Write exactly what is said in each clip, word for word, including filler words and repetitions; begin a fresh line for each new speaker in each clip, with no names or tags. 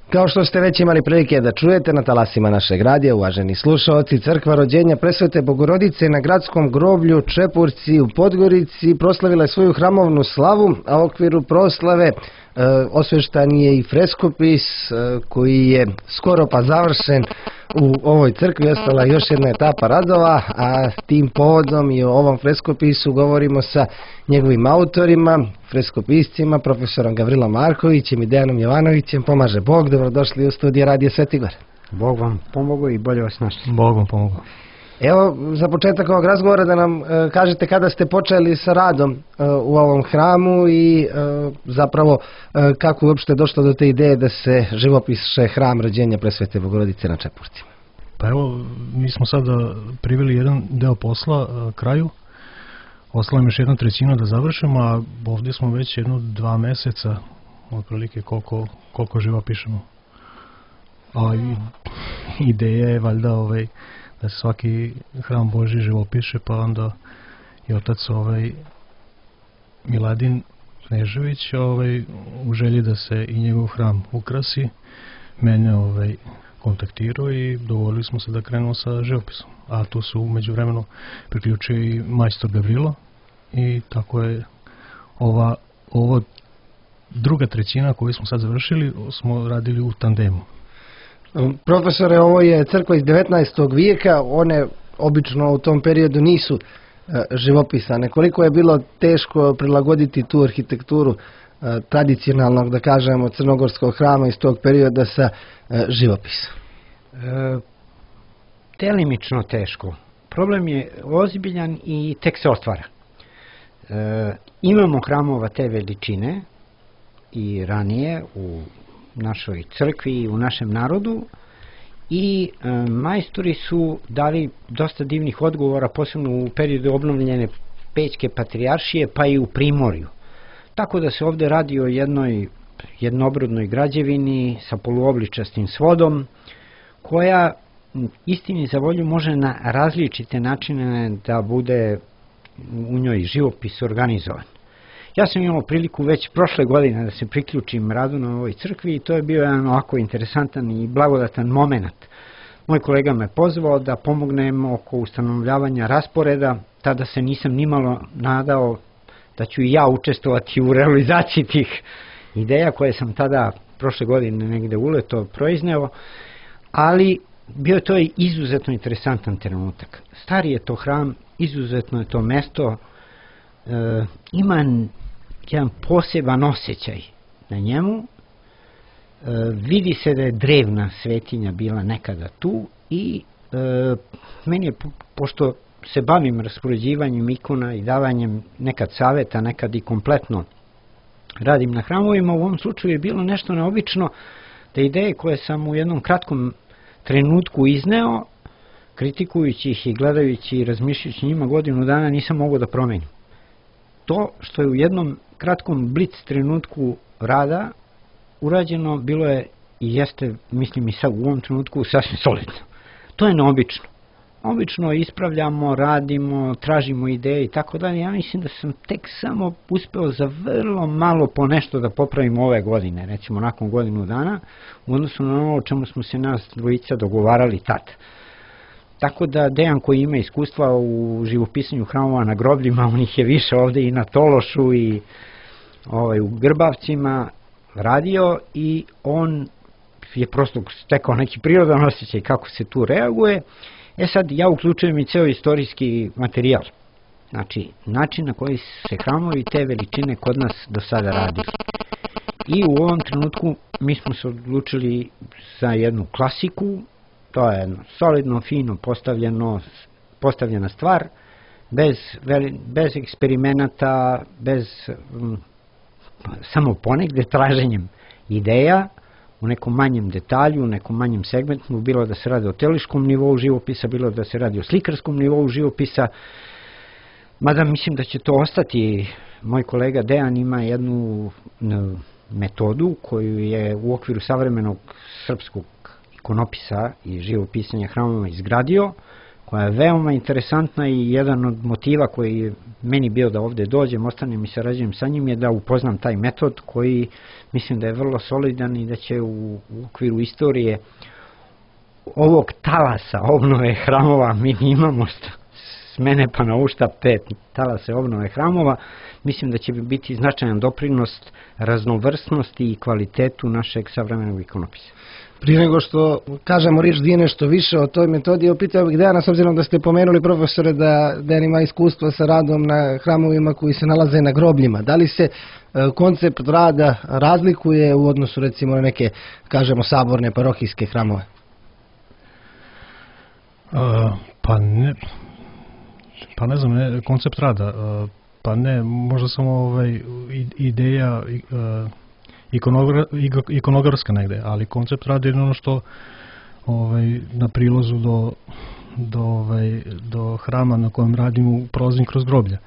Kao što ste već imali prilike da čujete na talasima našeg radija, uvaženi slušaoci, crkva rođenja Presvete Bogorodice na gradskom groblju Čepurci u Podgorici proslavila je svoju hramovnu slavu, a u okviru proslave e, osveštan je i freskopis e, koji je skoro pa završen. U ovoj crkvi ostala još jedna etapa radova, a tim povodom i o ovom freskopisu govorimo sa njegovim autorima, freskopiscima, profesorom Gavrilom Markovićem i Dejanom Jovanovićem. Pomaže Bog, dobrodošli u studiju Radio Svetigor.
Bog vam pomogao i bolje vas našli.
Bog vam pomogao.
Evo, za početak ovog razgovora da nam e, kažete kada ste počeli sa radom e, u ovom hramu i e, zapravo e, kako je uopšte došlo do te ideje da se živopiše hram rođenja Presvete Bogorodice na Čepurcima.
Pa evo, mi smo sada priveli jedan deo posla a, kraju. Ostala nam još jedna trećina da završimo, a ovdje smo već jedno dva meseca, otprilike koliko, koliko živopišemo. A i, ideja je valjda ovaj, da se svaki hram Božji živopiše, pa onda i otac ovaj, Miladin Knežević ovaj, u želji da se i njegov hram ukrasi, mene ovaj, kontaktirao i dogovorili smo se da krenemo sa živopisom. A tu su umeđu vremenu priključio i majstor Gavrilo i tako je ova, ova druga trećina koju smo sad završili smo radili u tandemu.
Profesore, ovo je crkva iz devetnaestog vijeka, one obično u tom periodu nisu e, živopisane. Koliko je bilo teško prilagoditi tu arhitekturu e, tradicionalnog, da kažemo, crnogorskog hrama iz tog perioda sa e, živopisom?
E, delimično teško. Problem je ozbiljan i tek se otvara. E, imamo hramova te veličine i ranije u našoj crkvi i u našem narodu i e, majstori su dali dosta divnih odgovora, posebno u periodu obnovljene Pećke patrijaršije, pa i u Primorju. Tako da se ovdje radi o jednoj jednobrodnoj građevini sa poluobličastim svodom, koja istini za volju može na različite načine da bude u njoj živopis organizovan. Ja sam imao priliku već prošle godine da se priključim radu na ovoj crkvi i to je bio jedan ovako interesantan i blagodatan moment. Moj kolega me pozvao da pomognem oko ustanovljavanja rasporeda, tada se nisam nimalo nadao da ću i ja učestvovati u realizaciji tih ideja koje sam tada prošle godine negde uleto proizneo, ali bio je to i izuzetno interesantan trenutak. Stari je to hram, izuzetno je to mesto, e, ima jedan poseban osjećaj na njemu, e, vidi se da je drevna svetinja bila nekada tu i e, meni je, po, pošto se bavim raspoređivanjem ikona i davanjem nekad saveta, nekad i kompletno radim na hramovima, u ovom slučaju je bilo nešto neobično da ideje koje sam u jednom kratkom trenutku izneo, kritikujući ih i gledajući i razmišljajući njima godinu dana, nisam mogao da promenim. To što je u jednom kratkom blic trenutku rada urađeno, bilo je i jeste, mislim i sad u ovom trenutku, sasvim solidno. To je neobično. Obično ispravljamo, radimo, tražimo ideje i tako dalje. Ja mislim da sam tek samo uspeo za vrlo malo po nešto da popravim ove godine, recimo nakon godinu dana, u odnosu na ono o čemu smo se nas dvojica dogovarali tad. Tako da Dejan koji ima iskustva u živopisanju hramova na grobljima, on ih je više ovdje i na Tološu i ovaj, u Grbavcima radio i on je prosto stekao neki prirodan osjećaj kako se tu reaguje. E sad, ja uključujem i ceo istorijski materijal. Znači, način na koji se hramovi te veličine kod nas do sada radili. I u ovom trenutku mi smo se odlučili za jednu klasiku, to je jedno solidno, fino postavljeno, postavljena stvar, bez, bez eksperimenata, bez um, samo ponegde traženjem ideja, u nekom manjem detalju, u nekom manjem segmentu, bilo da se radi o teliškom nivou živopisa, bilo da se radi o slikarskom nivou živopisa, mada mislim da će to ostati. Moj kolega Dejan ima jednu metodu koju je u okviru savremenog srpskog ikonopisa i živopisanja hramova izgradio, koja je veoma interesantna i jedan od motiva koji je meni bio da ovde dođem, ostanem i sarađujem sa njim, je da upoznam taj metod koji mislim da je vrlo solidan i da će u, u okviru istorije ovog talasa obnove hramova, mi imamo s mene pa na ušta pet talase obnove hramova, mislim da će biti značajan doprinos raznovrsnosti i kvalitetu našeg savremenog ikonopisa.
Prije nego što kažemo riječ dvije nešto više o toj metodi, opitao bih Dejana, s obzirom da ste pomenuli, profesore, da Dejan ima iskustva sa radom na hramovima koji se nalaze na grobljima. Da li se e, koncept rada razlikuje u odnosu recimo na neke, kažemo, saborne parohijske hramove?
Uh, pa ne, pa ne znam, ne, koncept rada, uh, pa ne, možda samo ovaj, ideja uh, ikonogra, ikonografska negde, ali koncept rada je ono što ovaj, na prilozu do, do, ovaj, do hrama na kojem radimo prolazim kroz groblja.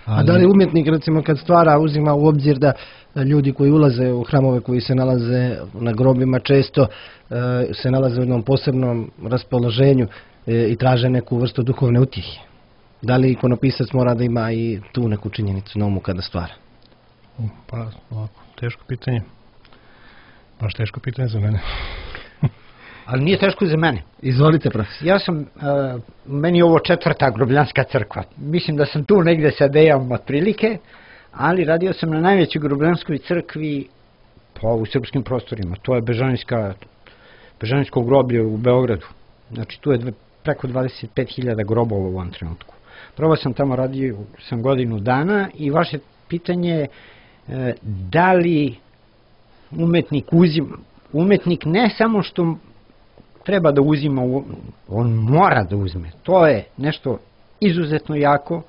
Ali... A da li umjetnik, recimo, kad stvara, uzima u obzir da ljudi koji ulaze u hramove koji se nalaze na grobljima često uh, se nalaze u jednom posebnom raspoloženju i traže neku vrstu duhovne utjehe? Da li ikonopisac mora da ima i tu neku činjenicu na umu kada stvara?
Pa, ovako, teško pitanje. Baš teško pitanje za mene.
Ali nije teško za mene.
Izvolite, profesor.
Ja sam, uh, meni je ovo četvrta grobljanska crkva. Mislim da sam tu negde sa Dejom otprilike, ali radio sam na najvećoj grobljanskoj crkvi pa u srpskim prostorima. To je Bežanijska, Bežanijsko groblje u Beogradu. Znači tu je dve, preko dvadeset pet hiljada grobova u ovom trenutku. Prvo sam tamo radio sam godinu dana i vaše pitanje je e, da li umetnik uzima, umetnik ne samo što treba da uzima, on mora da uzme. To je nešto izuzetno jako,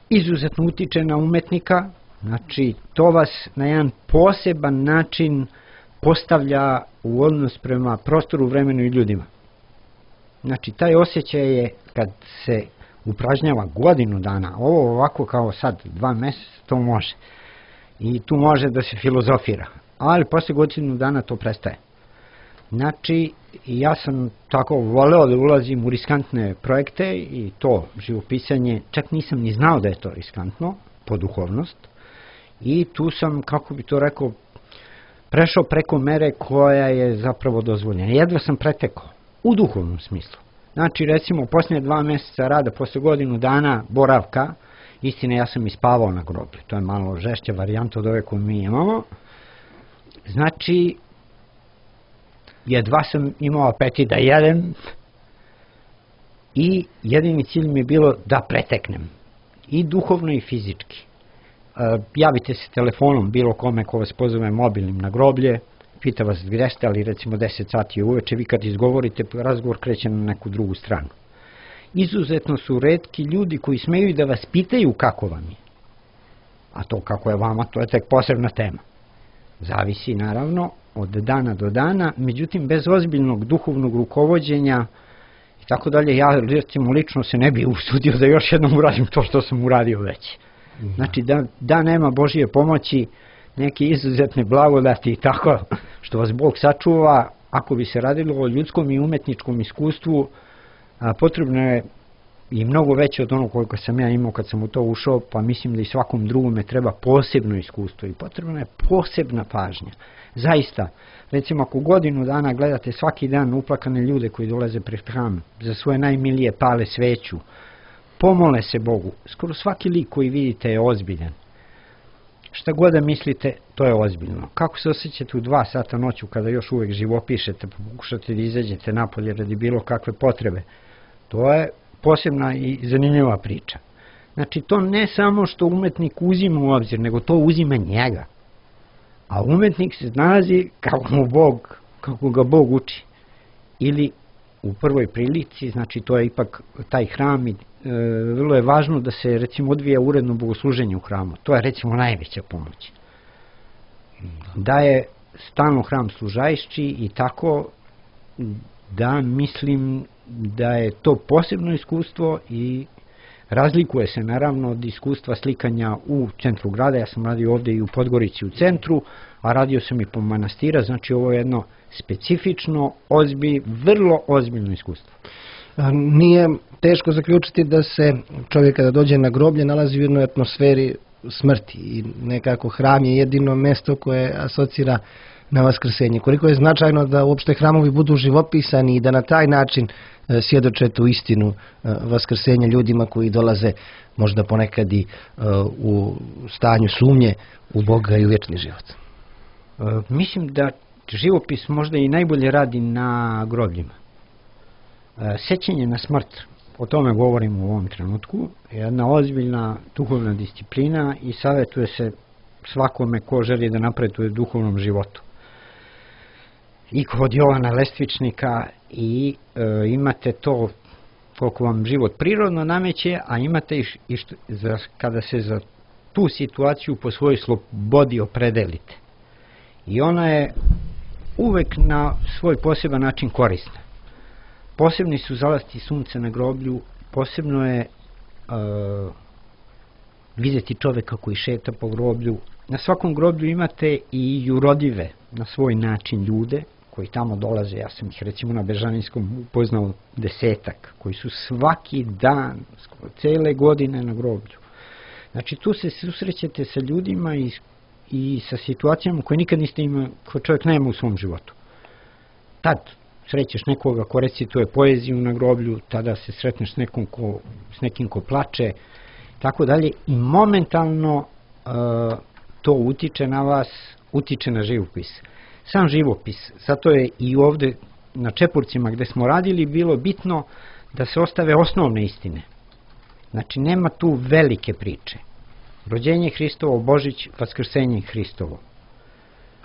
izuzetno utiče na umetnika, znači to vas na jedan poseban način postavlja u odnos prema prostoru, vremenu i ljudima. Znači, taj osjećaj je kad se upražnjava godinu dana, ovo ovako kao sad, dva meseca, to može. I tu može da se filozofira. Ali posle godinu dana to prestaje. Znači, ja sam tako voleo da ulazim u riskantne projekte i to živopisanje, čak nisam ni znao da je to riskantno, po duhovnost. I tu sam, kako bi to rekao, prešao preko mere koja je zapravo dozvoljena. Jedva sam pretekao. U duhovnom smislu. Znači, recimo, posljednje dva mjeseca rada, posle godinu dana boravka, istina, ja sam ispavao na groblju. To je malo žešća varijanta od ove koju mi imamo. Znači, jedva sam imao apetit da jedem i jedini cilj mi je bilo da preteknem. I duhovno i fizički. E, javite se telefonom bilo kome ko vas pozove mobilnim na groblje, pita vas gdje ste, ali recimo deset sati uveče, vi kad izgovorite, razgovor kreće na neku drugu stranu. Izuzetno su retki ljudi koji smeju da vas pitaju kako vam je. A to kako je vama, to je tek posebna tema. Zavisi naravno od dana do dana, međutim bez ozbiljnog duhovnog rukovođenja i tako dalje, ja recimo lično se ne bi usudio da još jednom uradim to što sam uradio već. Znači da, da nema Božije pomoći, neke izuzetne blagodati i tako što vas Bog sačuva, ako bi se radilo o ljudskom i umetničkom iskustvu, a, potrebno je i mnogo veće od onog koliko sam ja imao kad sam u to ušao, pa mislim da i svakom drugome treba posebno iskustvo i potrebna je posebna pažnja. Zaista, recimo ako godinu dana gledate svaki dan uplakane ljude koji dolaze pred hram, za svoje najmilije pale sveću, pomole se Bogu, skoro svaki lik koji vidite je ozbiljan. Šta god da mislite, to je ozbiljno. Kako se osjećate u dva sata noću kada još uvek živopišete, pa pokušate da izađete napolje radi bilo kakve potrebe, to je posebna i zanimljiva priča. Znači, to ne samo što umetnik uzima u obzir, nego to uzima njega. A umetnik se nalazi kako mu Bog, kako ga Bog uči. Ili u prvoj prilici, znači to je ipak taj hram i e, vrlo je važno da se recimo odvija uredno bogosluženje u hramu. To je recimo najveća pomoć. Da je stalno hram služajšći i tako da mislim da je to posebno iskustvo i razlikuje se naravno od iskustva slikanja u centru grada. Ja sam radio ovdje i u Podgorici u centru, a radio sam i po manastira, znači ovo je jedno specifično, ozbilj, vrlo ozbiljno iskustvo.
Nije teško zaključiti da se čovjek kada dođe na groblje nalazi u jednoj atmosferi smrti i nekako hram je jedino mesto koje asocira na vaskrsenje. Koliko je značajno da uopšte hramovi budu živopisani i da na taj način svjedoče tu istinu vaskrsenja ljudima koji dolaze možda ponekad i u stanju sumnje u Boga i u vječni život.
Mislim da živopis možda i najbolje radi na grobljima. Sećanje na smrt, o tome govorimo u ovom trenutku, je jedna ozbiljna duhovna disciplina i savjetuje se svakome ko želi da napreduje u duhovnom životu. I kod Jovana Lestvičnika i e, imate to koliko vam život prirodno nameće, a imate i, i što, za, kada se za tu situaciju po svojoj slobodi opredelite. I ona je uvek na svoj poseban način korisna. Posebni su zalasti sunca na groblju, posebno je uh, vidjeti čoveka koji šeta po groblju. Na svakom groblju imate i jurodive na svoj način ljude koji tamo dolaze. Ja sam ih recimo na Bežaninskom upoznao desetak, koji su svaki dan, cele godine na groblju. Znači tu se susrećete sa ljudima i, i sa situacijama koje nikad niste imali, koje čovjek nema u svom životu. Tad srećeš nekoga ko recituje poeziju na groblju, tada se sretneš s, nekom ko, s nekim ko plače, tako dalje, i momentalno uh, to utiče na vas, utiče na živopis. Sam živopis, zato je i ovde na Čepurcima gde smo radili bilo bitno da se ostave osnovne istine. Znači nema tu velike priče. Rođenje Hristovo, Božić, vaskrsenje Hristovo,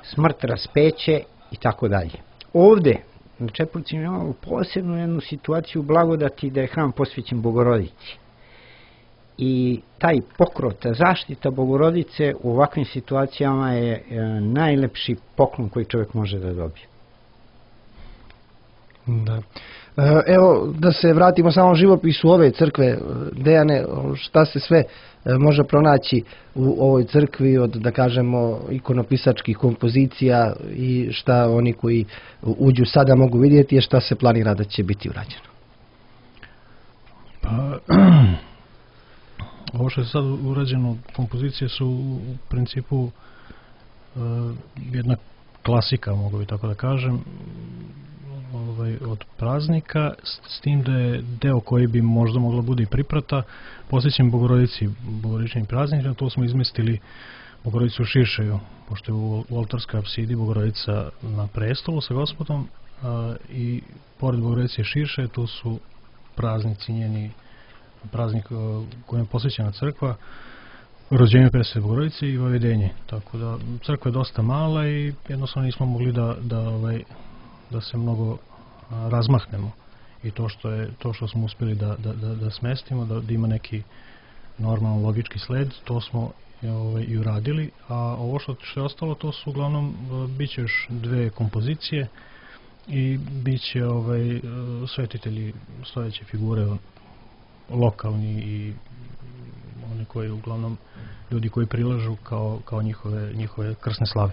smrt, raspeće i tako dalje. Ovde na Čepurcima imamo posebnu jednu situaciju blagodati da je hram posvećen Bogorodici. I taj pokrov, ta zaštita Bogorodice u ovakvim situacijama je najlepši poklon koji čovjek može da dobije.
Da. Evo, da se vratimo samo živopisu ove crkve, Dejane, šta se sve može pronaći u ovoj crkvi od, da kažemo, ikonopisačkih kompozicija i šta oni koji uđu sada mogu vidjeti i šta se planira da će biti urađeno?
Pa, ovo što je sad urađeno, kompozicije su u principu uh, jedna klasika, mogu bi tako da kažem, ovaj, od praznika, s, s tim da je deo koji bi možda mogla bude i priprata, posvećen Bogorodici, Bogorodičnim praznikom. To smo izmestili Bogorodicu u Širšeju, pošto je u, u oltarskoj apsidi Bogorodica na prestolu sa Gospodom, a, i pored Bogorodice Širše tu su praznici njeni, praznik kojem je posvećena crkva, rođenje Presvete Bogorodice i Vavedenje. Tako da crkva je dosta mala i jednostavno nismo mogli da, da, ovaj, da se mnogo a, razmahnemo. I to što, je, to što smo uspjeli da, da, da, da smestimo, da, da ima neki normalan logički sled, to smo ovaj, i uradili. A ovo što, što je ostalo, to su uglavnom, bit će još dve kompozicije i bit će ovaj, svetitelji, stojeće figure lokalni i oni koji uglavnom ljudi koji prilažu kao, kao njihove, njihove krsne slave.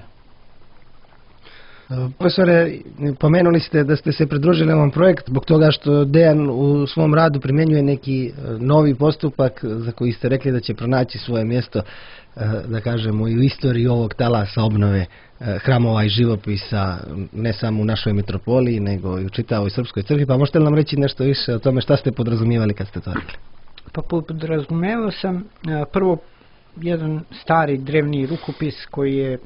Profesore, pomenuli ste da ste se pridružili ovom projektu zbog toga što Dejan u svom radu primjenjuje neki novi postupak za koji ste rekli da će pronaći svoje mjesto, da kažemo, i u istoriji ovog talasa obnove hramova i živopisa, ne samo u našoj metropoliji, nego i u čitavoj srpskoj crkvi. Pa možete li nam reći nešto više o tome šta ste podrazumijevali kad ste to rekli?
Pa podrazumevao sam prvo jedan stari drevni rukopis koji je,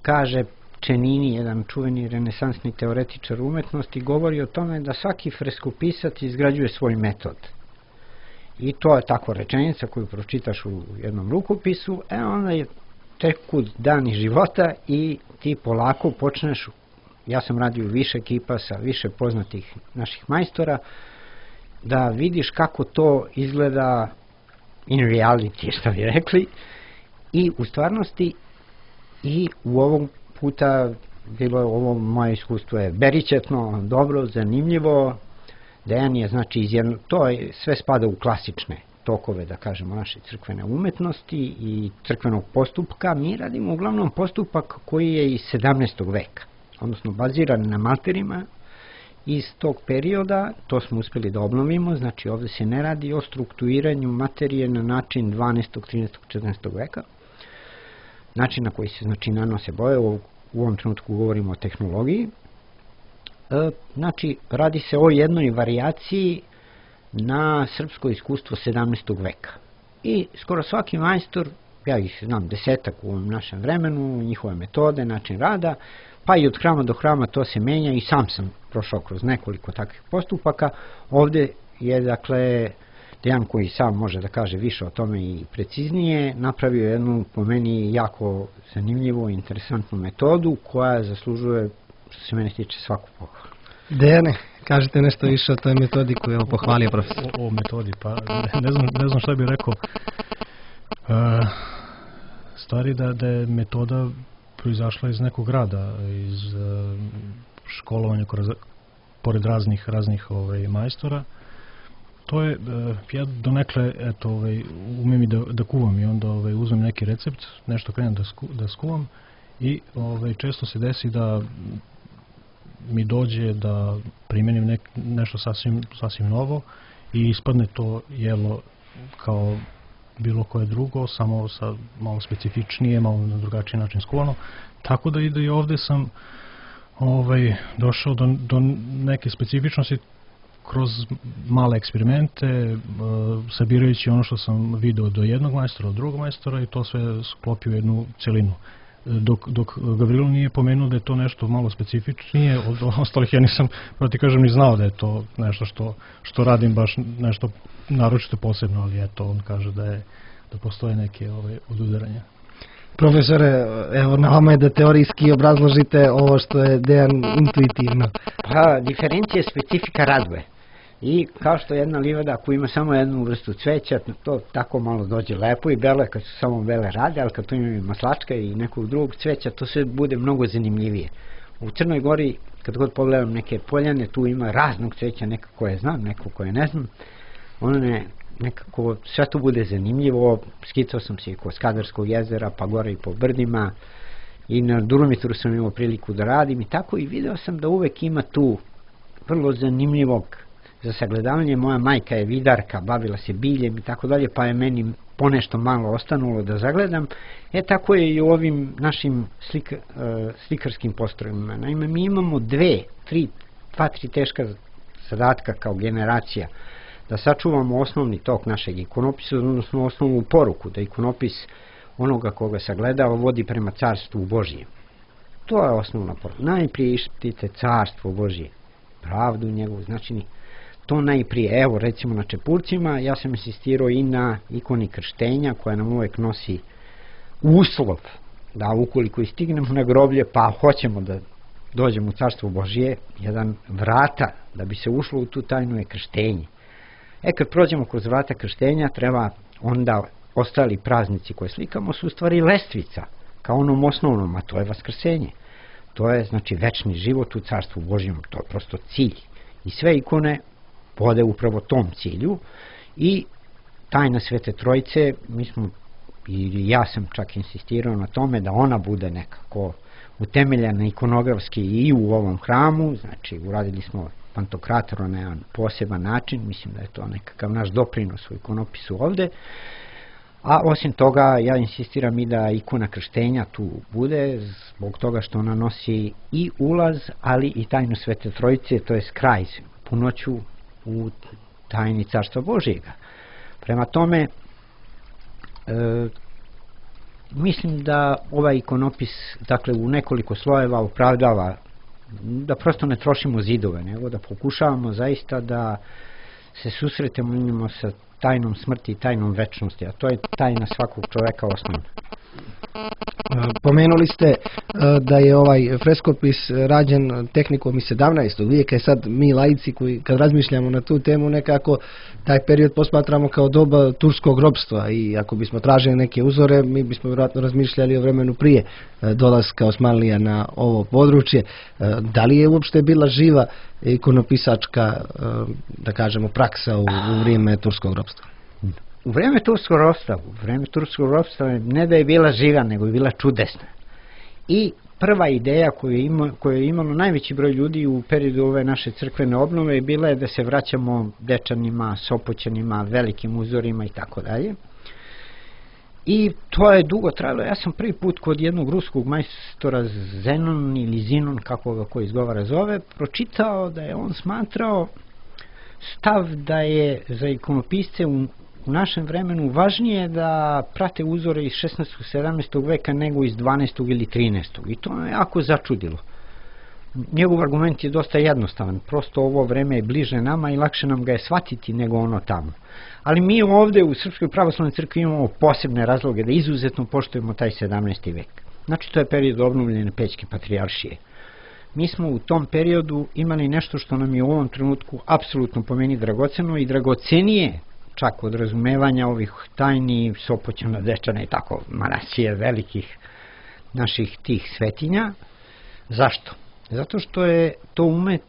kaže Čenini, jedan čuveni renesansni teoretičar umetnosti, govori o tome da svaki freskopisac izgrađuje svoj metod. I to je tako rečenica koju pročitaš u jednom rukopisu, e onda je teku dani života i ti polako počneš, ja sam radio više ekipa sa više poznatih naših majstora, da vidiš kako to izgleda in reality, što bi rekli, i u stvarnosti i u ovom puta bilo ovo moje iskustvo je beričetno, dobro, zanimljivo. Dejan je, znači, izjedno, to je, sve spada u klasične tokove, da kažemo, naše crkvene umetnosti i crkvenog postupka. Mi radimo uglavnom postupak koji je iz sedamnaestog veka, odnosno baziran na malterima iz tog perioda, to smo uspjeli da obnovimo, znači ovdje se ne radi o strukturiranju materije na način dvanaestog, trinaestog, četrnaestog veka, način na koji se znači nanose boje, u, u ovom trenutku govorimo o tehnologiji, e, znači radi se o jednoj varijaciji na srpsko iskustvo sedamnaestog veka. I skoro svaki majstor, ja ih znam desetak u ovom našem vremenu, njihove metode, način rada, pa i od hrama do hrama to se menja i sam sam prošao kroz nekoliko takvih postupaka. Ovdje je dakle Dejan koji sam može da kaže više o tome i preciznije, napravio jednu po meni jako zanimljivu i interesantnu metodu koja zaslužuje, što se mene tiče, svaku pohvalu.
Dejane, kažete nešto više o toj metodi koju je pohvalio profesor.
O, o metodi, pa ne, ne, znam, ne znam šta bih rekao. Uh, stvari da, da je metoda proizašla iz nekog rada, iz uh, školovanja kroz, pored raznih, raznih ovaj, majstora. To je, uh, ja donekle, eto, ovaj, umem i da, da kuvam i onda ovaj, uzmem neki recept, nešto krenem da, sku, da skuvam i ovaj, često se desi da mi dođe da primenim nek, nešto sasvim, sasvim novo i ispadne to jelo kao bilo koje drugo, samo sa malo specifičnije, malo na drugačiji način skuvano. Tako da i da i ovdje sam ovaj, došao do, do neke specifičnosti kroz male eksperimente, uh, sabirajući ono što sam video do jednog majstora, od drugog majstora i to sve sklopio u jednu celinu. Dok, dok Gavrilo nije pomenuo da je to nešto malo specifičnije od ostalih, ja nisam, da ti kažem, ni znao da je to nešto što, što radim baš nešto naročito posebno, ali eto, on kaže da je da postoje neke ove odudaranja.
Profesore, evo na vama je da teorijski obrazložite ovo što je Dejan intuitivno.
Pa, diferencija specifika raduje. I kao što jedna livada ako ima samo jednu vrstu cveća, to tako malo dođe lepo i belo je kad su samo bele rade, ali kad tu ima i maslačka i nekog drugog cveća, to sve bude mnogo zanimljivije. U Crnoj Gori, kad god pogledam neke poljane, tu ima raznog cveća, neko koje znam, neko koje ne znam. Ono ne, nekako sve tu bude zanimljivo. Skicao sam se i kod Skadarskog jezera, pa gore i po brdima. I na Duromitru sam imao priliku da radim i tako, i video sam da uvek ima tu vrlo zanimljivog za sagledavanje. Moja majka je vidarka, bavila se biljem i tako dalje, pa je meni ponešto malo ostanulo da zagledam. E tako je i u ovim našim slik, uh, slikarskim postrojima. Naime, mi imamo dve, tri, dva, tri teška zadatka kao generacija. Da sačuvamo osnovni tok našeg ikonopisa, odnosno osnovnu poruku, da ikonopis onoga koga sagledava vodi prema carstvu Božijem. To je osnovna poruka. Najprije ištite carstvo Božije, pravdu njegovu, znači to najprije. Evo recimo na čepurcima, ja sam insistirao i na ikoni krštenja koja nam uvek nosi uslov da ukoliko istignemo na groblje pa hoćemo da dođemo u carstvo Božije, jedan vrata da bi se ušlo u tu tajnu je krštenje. E kad prođemo kroz vrata krštenja, treba onda ostali praznici koje slikamo su u stvari lestvica kao onom osnovnom, a to je vaskrsenje. To je znači večni život u carstvu Božjem, to je prosto cilj. I sve ikone vode upravo tom cilju i tajna Svete Trojice, mi smo, i ja sam čak insistirao na tome da ona bude nekako utemeljena ikonografski i u ovom hramu, znači uradili smo Pantokrator na jedan poseban način, mislim da je to nekakav naš doprinos u ikonopisu ovde. A osim toga, ja insistiram i da ikona krštenja tu bude, zbog toga što ona nosi i ulaz, ali i tajnu Svete Trojice, to je kraj, punoću u tajni Carstva Božjega. Prema tome, e, mislim da ovaj ikonopis, dakle, u nekoliko slojeva opravdava da prosto ne trošimo zidove, nego da pokušavamo zaista da se susretemo sa tajnom smrti i tajnom večnosti, a to je tajna svakog čoveka osnovna.
Pomenuli ste da je ovaj freskopis rađen tehnikom iz sedamnaestog vijeka i sad mi laici koji kad razmišljamo na tu temu nekako taj period posmatramo kao doba turskog ropstva i ako bismo tražili neke uzore mi bismo vjerojatno razmišljali o vremenu prije dolaska Osmanlija na ovo područje. Da li je uopšte bila živa ikonopisačka, da kažemo, praksa u, u vrijeme turskog ropstva?
U vreme turskog ropstva, u vreme turskog ropstva ne da je bila živa, nego je bila čudesna. I prva ideja koju je, ima, koju je imalo najveći broj ljudi u periodu ove naše crkvene obnove je bila je da se vraćamo Dečanima, Sopoćanima, velikim uzorima i tako dalje. I to je dugo trajalo. Ja sam prvi put kod jednog ruskog majstora Zenon ili Zinon, kako ga ko izgovara zove, pročitao da je on smatrao stav da je za ikonopisce u, u našem vremenu važnije da prate uzore iz šesnaestog sedamnaestog veka nego iz dvanaestog ili trinaestog. I to me jako začudilo. Njegov argument je dosta jednostavan. Prosto ovo vreme je bliže nama i lakše nam ga je shvatiti nego ono tamo. Ali mi ovde u Srpskoj pravoslavnoj crkvi imamo posebne razloge da izuzetno poštujemo taj sedamnaesti vek. Znači, to je period obnovljene Pećke patrijaršije. Mi smo u tom periodu imali nešto što nam je u ovom trenutku apsolutno po meni dragoceno i dragocenije čak od razumevanja ovih tajni Sopoćana, Dečana i tako manasije velikih naših tih svetinja. Zašto? Zato što je to umet,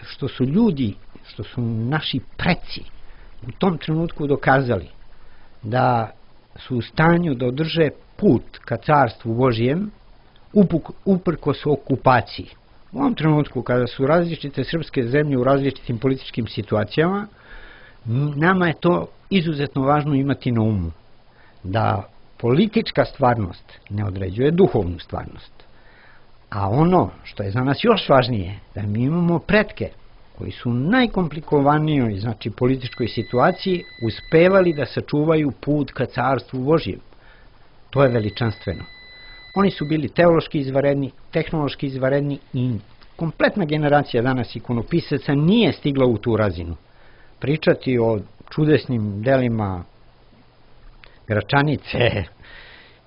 što su ljudi, što su naši preci u tom trenutku dokazali da su u stanju da održe put ka carstvu Božijem uprkos okupaciji. U ovom trenutku kada su različite srpske zemlje u različitim političkim situacijama, nama je to izuzetno važno imati na umu. Da politička stvarnost ne određuje duhovnu stvarnost. A ono što je za nas još važnije, da mi imamo pretke koji su u najkomplikovanijoj, znači političkoj situaciji, uspevali da sačuvaju put ka carstvu Božijem. To je veličanstveno. Oni su bili teološki izvanredni, tehnološki izvanredni i kompletna generacija danas ikonopisaca nije stigla u tu razinu. Pričati o čudesnim delima Gračanice,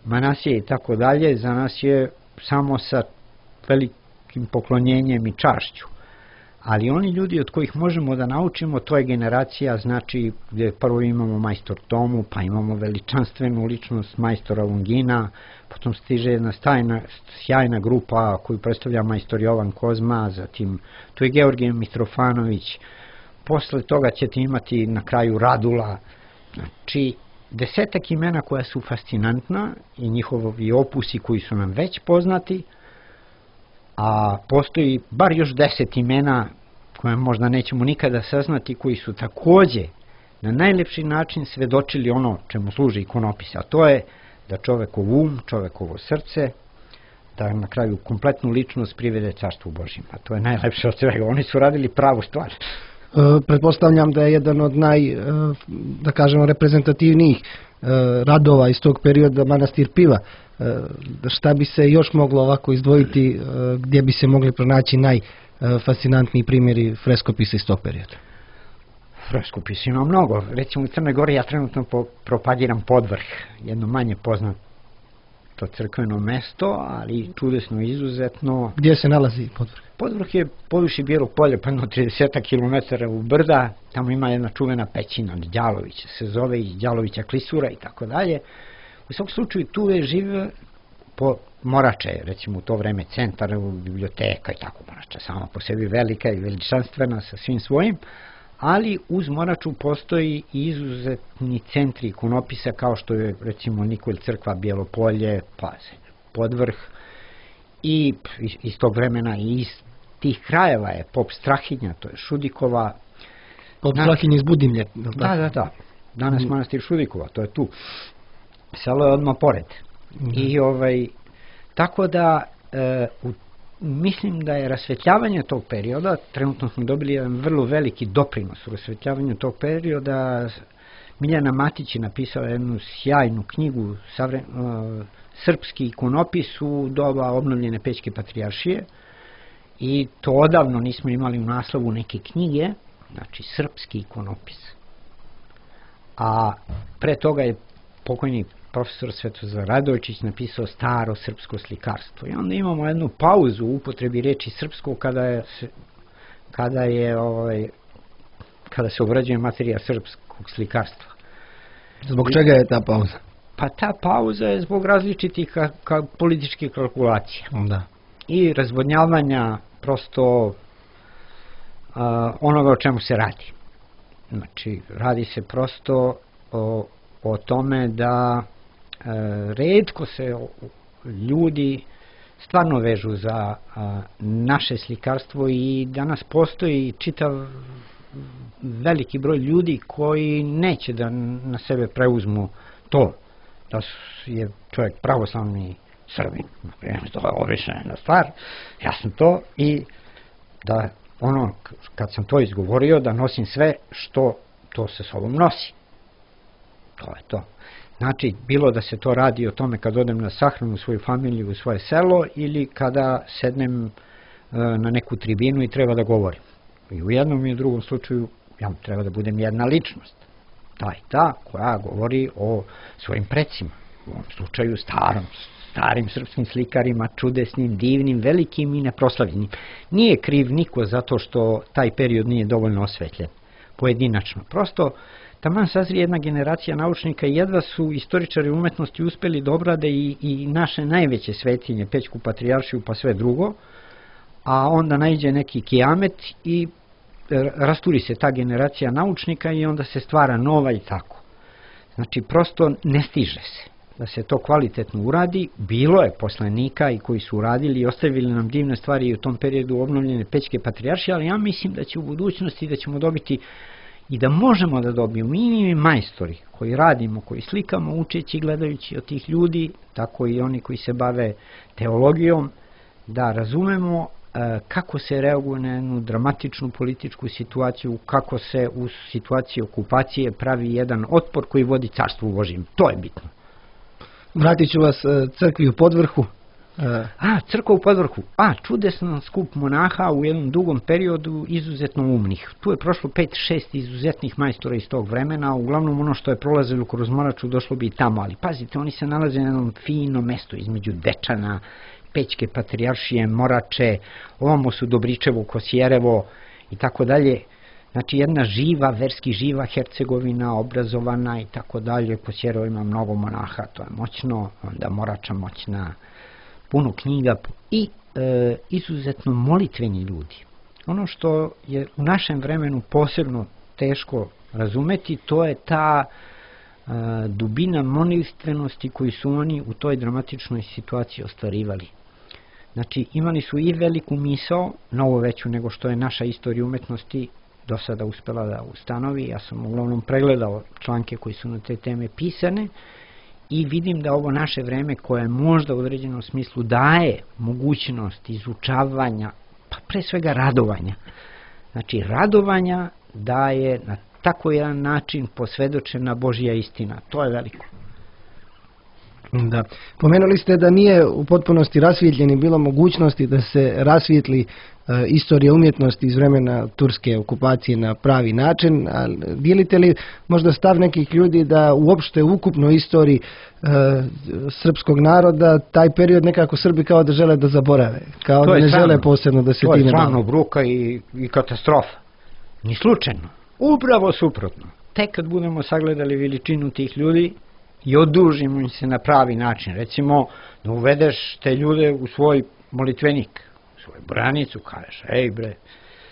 Manasije i tako dalje, za nas je samo sa velikim poklonjenjem i čašću. Ali oni ljudi od kojih možemo da naučimo, to je generacija, znači gdje prvo imamo majstor Tomu, pa imamo veličanstvenu ličnost majstora Longina, potom stiže jedna stajna, sjajna grupa koju predstavlja majstor Jovan Kozma, zatim tu je Georgije Mitrofanović, posle toga ćete imati na kraju Radula, znači desetak imena koja su fascinantna i njihovi opusi koji su nam već poznati, a postoji bar još deset imena koje možda nećemo nikada saznati, koji su takođe na najlepši način svedočili ono čemu služi ikonopis, a to je da čovekov um, čovekovo srce, da na kraju kompletnu ličnost privede carstvu Božjem. A to je najlepše od svega. Oni su radili pravu stvar.
E, pretpostavljam da je jedan od naj, e, da kažemo, reprezentativnijih e, radova iz tog perioda manastir Piva. E, šta bi se još moglo ovako izdvojiti, e, gdje bi se mogli pronaći najfascinantniji primjeri freskopisa iz tog perioda?
Freskopisa ima mnogo. Recimo u Crnoj Gori ja trenutno po, propagiram Podvrh, jedno manje poznato crkveno mesto, ali čudesno izuzetno.
Gdje se nalazi Podvrh?
Podvrh je poviši Bijelog polja, pa jedno trideset kilometara u brda, tamo ima jedna čuvena pećina, Đalovića se zove, i Đalovića klisura i tako dalje. U svakom slučaju tu je žive po Morače, recimo u to vreme centar, biblioteka i tako, Morača sama po sebi velika i veličanstvena sa svim svojim, ali uz Moraču postoji i izuzetni centri ikonopisa kao što je recimo Nikolj crkva Bijelo polje, pa Podvrh, i iz tog vremena i iz tih krajeva je Pop Strahinja, to je Šudikova.
Pop Strahinja iz Budimlje.
Da, da, da. Danas mm. manastir Šudikova, to je tu. Selo je odmah pored. Mm. I ovaj, tako da e, u mislim da je rasvetljavanje tog perioda, trenutno smo dobili jedan vrlo veliki doprinos u rasvetljavanju tog perioda. Miljana Matić je napisala jednu sjajnu knjigu, savre, uh, srpski ikonopis u doba obnovljene Pećke patrijaršije, i to odavno nismo imali u naslovu neke knjige, znači srpski ikonopis. A pre toga je pokojni profesor Svetozar Radojičić napisao staro srpsko slikarstvo. I onda imamo jednu pauzu u upotrebi reči srpsko kada je, kada je ovaj, kada se obrađuje materija srpskog slikarstva.
Zbog čega je ta pauza?
Pa ta pauza je zbog različitih ka, ka političkih kalkulacija.
Da.
I razvodnjavanja prosto a, onoga o čemu se radi. Znači, radi se prosto o, o tome da e, retko se ljudi stvarno vežu za a, naše slikarstvo i danas postoji čitav veliki broj ljudi koji neće da na sebe preuzmu to da je čovjek pravoslavni Srbin. To je obična stvar, ja sam to i da ono, kad sam to izgovorio, da nosim sve što to sa sobom nosi. To je to. Znači, bilo da se to radi o tome kad odem na sahranu u svoju familiju, u svoje selo ili kada sednem e, na neku tribinu i treba da govorim. I u jednom i u drugom slučaju ja treba da budem jedna ličnost. Ta i ta koja govori o svojim precima. U ovom slučaju starom, starim srpskim slikarima, čudesnim, divnim, velikim i neproslavljenim. Nije kriv niko zato što taj period nije dovoljno osvetljen, pojedinačno. Prosto, taman sazri jedna generacija naučnika i jedva su istoričari umetnosti uspeli da obrade i, i naše najveće svetinje, Pećku patrijaršiju pa sve drugo, a onda naiđe neki kijamet i rasturi se ta generacija naučnika i onda se stvara nova i tako. Znači, prosto ne stiže se da se to kvalitetno uradi. Bilo je poslanika i koji su uradili i ostavili nam divne stvari i u tom periodu obnovljene Pećke patrijaršije, ali ja mislim da će u budućnosti da ćemo dobiti i da možemo da dobijemo i mi majstori koji radimo, koji slikamo, učeći, gledajući od tih ljudi, tako i oni koji se bave teologijom, da razumemo kako se reaguje na jednu dramatičnu političku situaciju, kako se u situaciji okupacije pravi jedan otpor koji vodi carstvu Božjem. To je bitno.
Vratit ću vas crkvi u Podvrhu.
A, crkva u Podvrhu. A, čudesan skup monaha u jednom dugom periodu, izuzetno umnih. Tu je prošlo pet šest izuzetnih majstora iz tog vremena, uglavnom ono što je prolazilo kroz Moraču došlo bi i tamo, ali pazite, oni se nalaze na jednom finom mestu između Dečana, Pećke patrijaršije, Morače, ovamo su Dobričevo, Kosjerevo i tako dalje. Znači jedna živa, verski živa Hercegovina, obrazovana i tako dalje. Kosjerevo ima mnogo monaha, to je moćno, onda Morača moćna, puno knjiga i e, izuzetno molitveni ljudi. Ono što je u našem vremenu posebno teško razumeti, to je ta e, dubina molitvenosti koju su oni u toj dramatičnoj situaciji ostvarivali. Znači, imali su i veliku misao, mnogo veću nego što je naša istorija umetnosti do sada uspela da ustanovi. Ja sam uglavnom pregledao članke koji su na te teme pisane i vidim da ovo naše vreme koje možda u određenom smislu daje mogućnost izučavanja, pa pre svega radovanja. Znači, radovanja daje na tako jedan način posvedočena Božja istina. To je veliko.
Da. Pomenuli ste da nije u potpunosti rasvjetljeni bilo mogućnosti da se rasvijetli e, istorija umjetnosti iz vremena turske okupacije na pravi način. A dijelite li možda stav nekih ljudi da uopšte u ukupnoj istoriji e, srpskog naroda taj period nekako Srbi kao da žele da zaborave, kao da ne žele posebno da se time bave?
To je stvarno bruka i, i katastrofa. Ni slučajno. Upravo suprotno. Tek kad budemo sagledali veličinu tih ljudi i odužimo im se na pravi način. Recimo, da uvedeš te ljude u svoj molitvenik, u svoju branicu, kažeš, ej bre,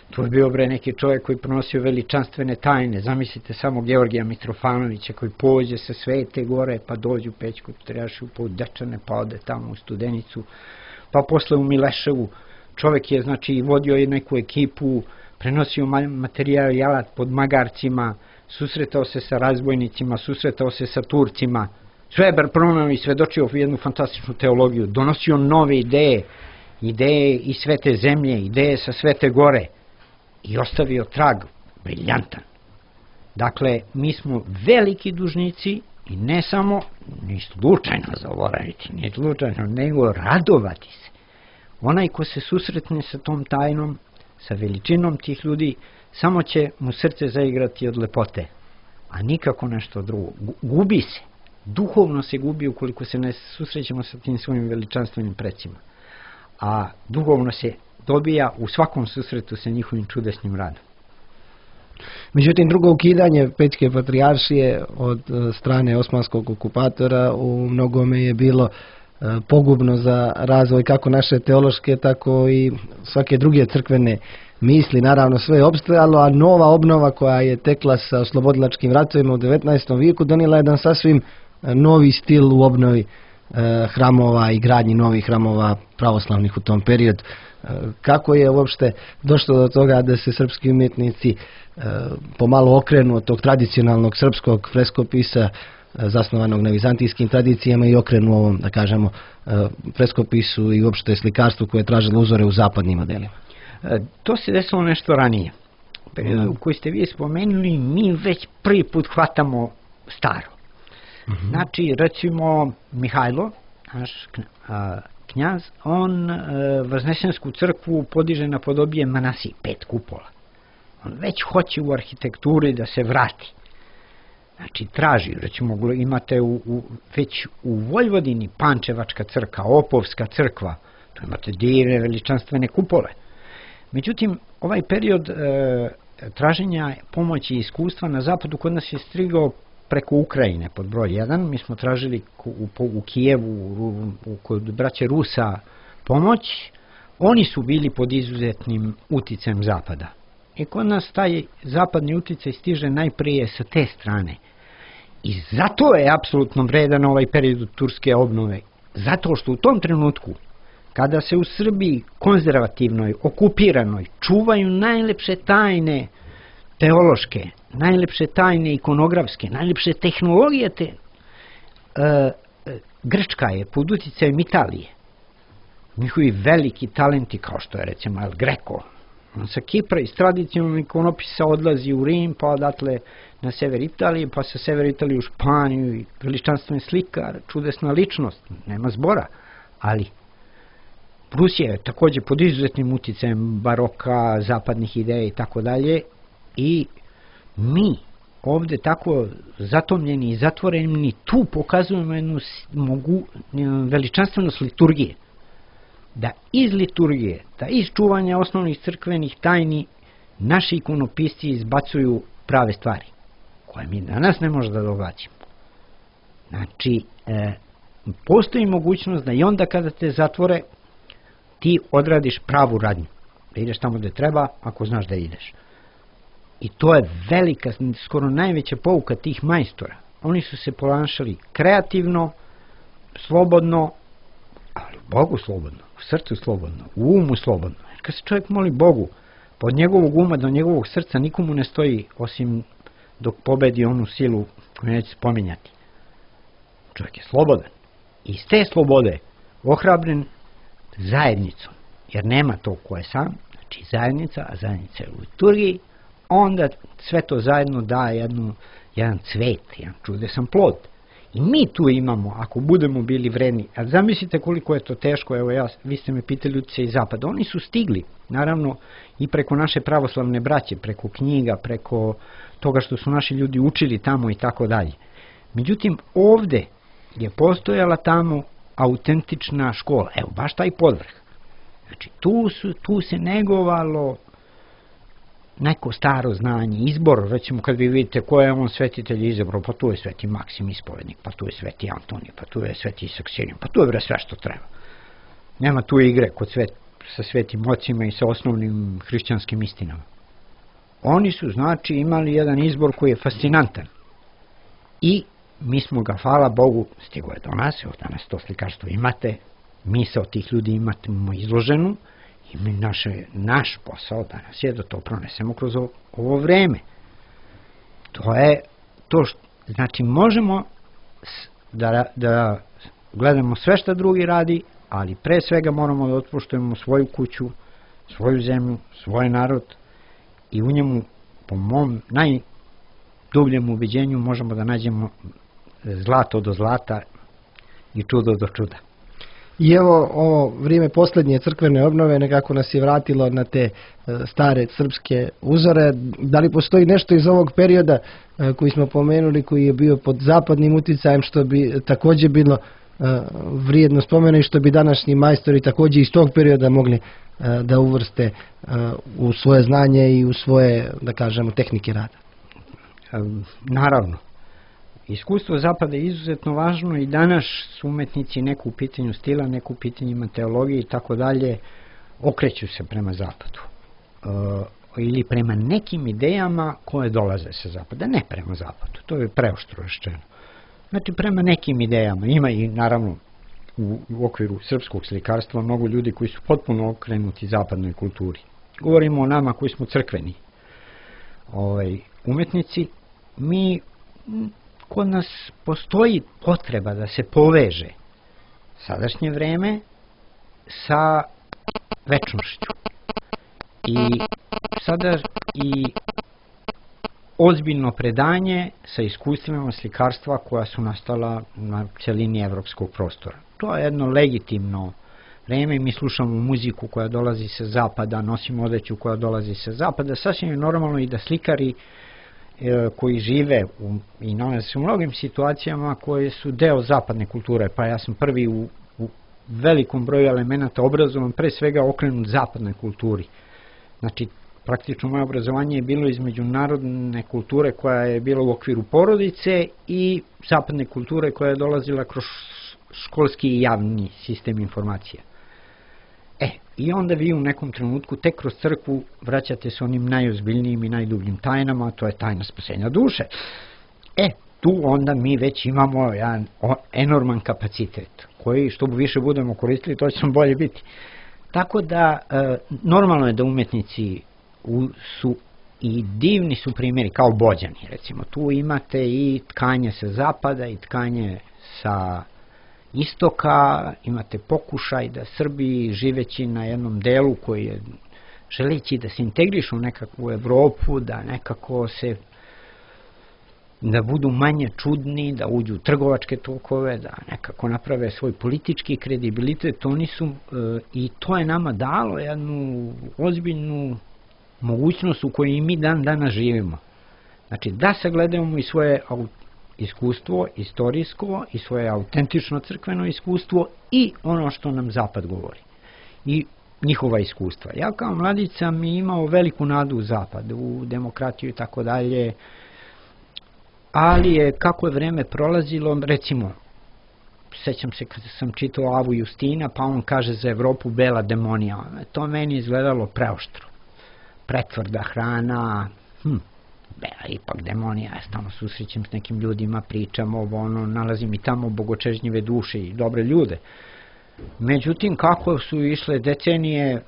tu je bio bre neki čovjek koji pronosio veličanstvene tajne. Zamislite samo Georgija Mitrofanovića koji pođe sa Svete Gore, pa dođe u Pećku patrijaršiju, pa u Dečane, pa ode tamo u Studenicu, pa posle u Mileševu. Čovjek je, znači, vodio je neku ekipu, prenosio materijal pod magarcima, susretao se sa razbojnicima, susretao se sa Turcima, sve je pronao i svedočio jednu fantastičnu teologiju, donosio nove ideje, ideje iz Svete zemlje, ideje sa Svete Gore i ostavio trag briljantan. Dakle, mi smo veliki dužnici i ne samo, ni slučajno zaboraviti, ni slučajno, nego radovati se. Onaj ko se susretne sa tom tajnom, sa veličinom tih ljudi, samo će mu srce zaigrati od lepote, a nikako nešto drugo. Gubi se. Duhovno se gubi ukoliko se ne susrećemo sa tim svojim veličanstvenim precima. A duhovno se dobija u svakom susretu sa njihovim čudesnim radom.
Međutim, drugo ukidanje Pećke patrijaršije od strane osmanskog okupatora u mnogome je bilo pogubno za razvoj kako naše teološke, tako i svake druge crkvene misli. Naravno, sve je opstajalo, a nova obnova koja je tekla sa oslobodilačkim ratovima u devetnaestom vijeku donijela jedan sasvim novi stil u obnovi hramova i gradnji novih hramova pravoslavnih u tom periodu. Kako je uopšte došlo do toga da se srpski umjetnici pomalo okrenu od tog tradicionalnog srpskog freskopisa zasnovanog na vizantijskim tradicijama i okrenu ovom, da kažemo, freskopisu i uopšte slikarstvu koje je tražilo uzore u zapadnim modelima?
To se desilo nešto ranije. U koji ste vi spomenuli, mi već prvi put hvatamo staro. Mm-hmm. Znači, recimo, Mihajlo, naš knjaz, on Vaznesensku crkvu podiže na podobije Manasije, pet kupola. On već hoće u arhitekturi da se vrati. Znači, traži, recimo, imate u, u, već u Vojvodini Pančevačka crkva, Opovska crkva, tu imate divne veličanstvene kupole. Međutim, ovaj period e, traženja pomoći i iskustva na zapadu kod nas je strigao preko Ukrajine pod broj jedan. Mi smo tražili u, u Kijevu, u, u, kod braće Rusa pomoć. Oni su bili pod izuzetnim uticajem zapada. I kod nas taj zapadni uticaj stiže najprije sa te strane. I zato je apsolutno vredan ovaj period turske obnove. Zato što u tom trenutku, kada se u Srbiji konzervativnoj, okupiranoj, čuvaju najlepše tajne teološke, najlepše tajne ikonografske, najlepše tehnologije, te, e, Grčka je pod uticajem Italije. Njihovi veliki talenti, kao što je recimo El Greco, on sa Kipra iz tradicionalnog ikonopisa odlazi u Rim, pa odatle na sever Italije, pa sa sever Italije u Španiju, i veličanstven slikar, čudesna ličnost, nema zbora, ali Rusija je također pod izuzetnim uticajem baroka, zapadnih ideja i tako dalje, i mi ovdje tako zatomljeni i zatvoreni tu pokazujemo jednu mogu, veličanstvenost liturgije. Da iz liturgije, da iz čuvanja osnovnih crkvenih tajni naši ikonopisci izbacuju prave stvari, koje mi danas ne možemo da događamo. Znači, e, postoji mogućnost da i onda kada te zatvore, ti odradiš pravu radnju. Da ideš tamo gde treba, ako znaš da ideš. I to je velika, skoro najveća pouka tih majstora. Oni su se ponašali kreativno, slobodno, ali Bogu slobodno, u srcu slobodno, u umu slobodno. Jer kad se čovjek moli Bogu, pa od njegovog uma do njegovog srca nikomu ne stoji osim dok pobedi onu silu koju neće spominjati. Čovjek je slobodan. I iz te slobode ohrabren zajednicom, jer nema to ko je sam, znači zajednica, a zajednica je u liturgiji, onda sve to zajedno da jednu, jedan cvet, jedan čudesan plod. I mi tu imamo, ako budemo bili vredni, a zamislite koliko je to teško, evo ja, vi ste me pitali utice iz zapada, oni su stigli, naravno i preko naše pravoslavne braće, preko knjiga, preko toga što su naši ljudi učili tamo i tako dalje. Međutim, ovde je postojala tamo autentična škola, evo baš taj podvrh. Znači tu, su, tu se negovalo neko staro znanje, izbor, recimo kad vi vidite ko je on svetitelj izabrao, pa tu je sveti Maksim ispovednik, pa tu je sveti Antonij, pa tu je sveti Saksinijan, pa tu je bre sve što treba. Nema tu igre kod svet, sa svetim ocima i sa osnovnim hrišćanskim istinama. Oni su znači imali jedan izbor koji je fascinantan. I mi smo ga, hvala Bogu, stigo je do nas, evo danas to slikarstvo imate, mi se od tih ljudi imamo izloženu, i mi naše, naš posao danas je da to pronesemo kroz ovo, ovo vreme. To je to što, znači možemo da, da gledamo sve što drugi radi, ali pre svega moramo da otpoštujemo svoju kuću, svoju zemlju, svoj narod i u njemu, po mom najdubljem ubeđenju, možemo da nađemo zlato do zlata i čudo do čuda.
I evo ovo vrijeme posljednje crkvene obnove nekako nas je vratilo na te stare srpske uzore. Da li postoji nešto iz ovog perioda koji smo pomenuli, koji je bio pod zapadnim uticajem, što bi također bilo vrijedno spomena i što bi današnji majstori također iz tog perioda mogli da uvrste u svoje znanje i u svoje, da kažemo, tehnike rada?
Naravno. Iskustvo zapada je izuzetno važno i danas su umetnici neku u pitanju stila, neku u pitanjima teologije i tako dalje, okreću se prema zapadu. E, ili prema nekim idejama koje dolaze sa zapada, ne prema zapadu, to je preoštro rečeno. Znači prema nekim idejama, ima i naravno u, u okviru srpskog slikarstva mnogo ljudi koji su potpuno okrenuti zapadnoj kulturi. Govorimo o nama koji smo crkveni ovaj, umetnici. Mi, kod nas postoji potreba da se poveže sadašnje vreme sa večnošću. I sada i ozbiljno predanje sa iskustvima slikarstva koja su nastala na celini evropskog prostora. To je jedno legitimno vreme. Mi slušamo muziku koja dolazi sa zapada, nosimo odeću koja dolazi sa zapada. Sasvim je normalno i da slikari e, koji žive u, i nalaze se u mnogim situacijama koje su deo zapadne kulture. Pa ja sam prvi u, u velikom broju elemenata obrazovan, pre svega okrenut zapadnoj kulturi. Znači, praktično moje obrazovanje je bilo između narodne kulture koja je bila u okviru porodice i zapadne kulture koja je dolazila kroz školski i javni sistem informacija. E, i onda vi u nekom trenutku tek kroz crkvu vraćate se onim najozbiljnijim i najdubljim tajnama, to je tajna spasenja duše. E, tu onda mi već imamo jedan enorman kapacitet, koji što više budemo koristili, to će nam bolje biti. Tako da, e, normalno je da umetnici u, su i divni su primjeri, kao Bođani, recimo. Tu imate i tkanje sa zapada i tkanje sa istoka, imate pokušaj da Srbi, živeći na jednom delu koji je, želeći da se integrišu u nekakvu Evropu, da nekako se, da budu manje čudni, da uđu u trgovačke tokove, da nekako naprave svoj politički kredibilitet, oni su, e, i to je nama dalo jednu ozbiljnu mogućnost u kojoj mi dan danas živimo. Znači, da sagledamo i svoje iskustvo, istorijsko, i svoje autentično crkveno iskustvo i ono što nam Zapad govori. I njihova iskustva. Ja kao mladić sam imao veliku nadu u Zapad, u demokratiju i tako dalje, ali je kako je vreme prolazilo, recimo, sećam se kada sam čitao Avu Justina, pa on kaže za Evropu bela demonija. To meni izgledalo preoštro. Pretvrda hrana, hm, bela ipak demonija, ja stalno susrećem s nekim ljudima, pričam ovo, ono, nalazim i tamo bogočežnjive duše i dobre ljude. Međutim, kako su išle decenije, e,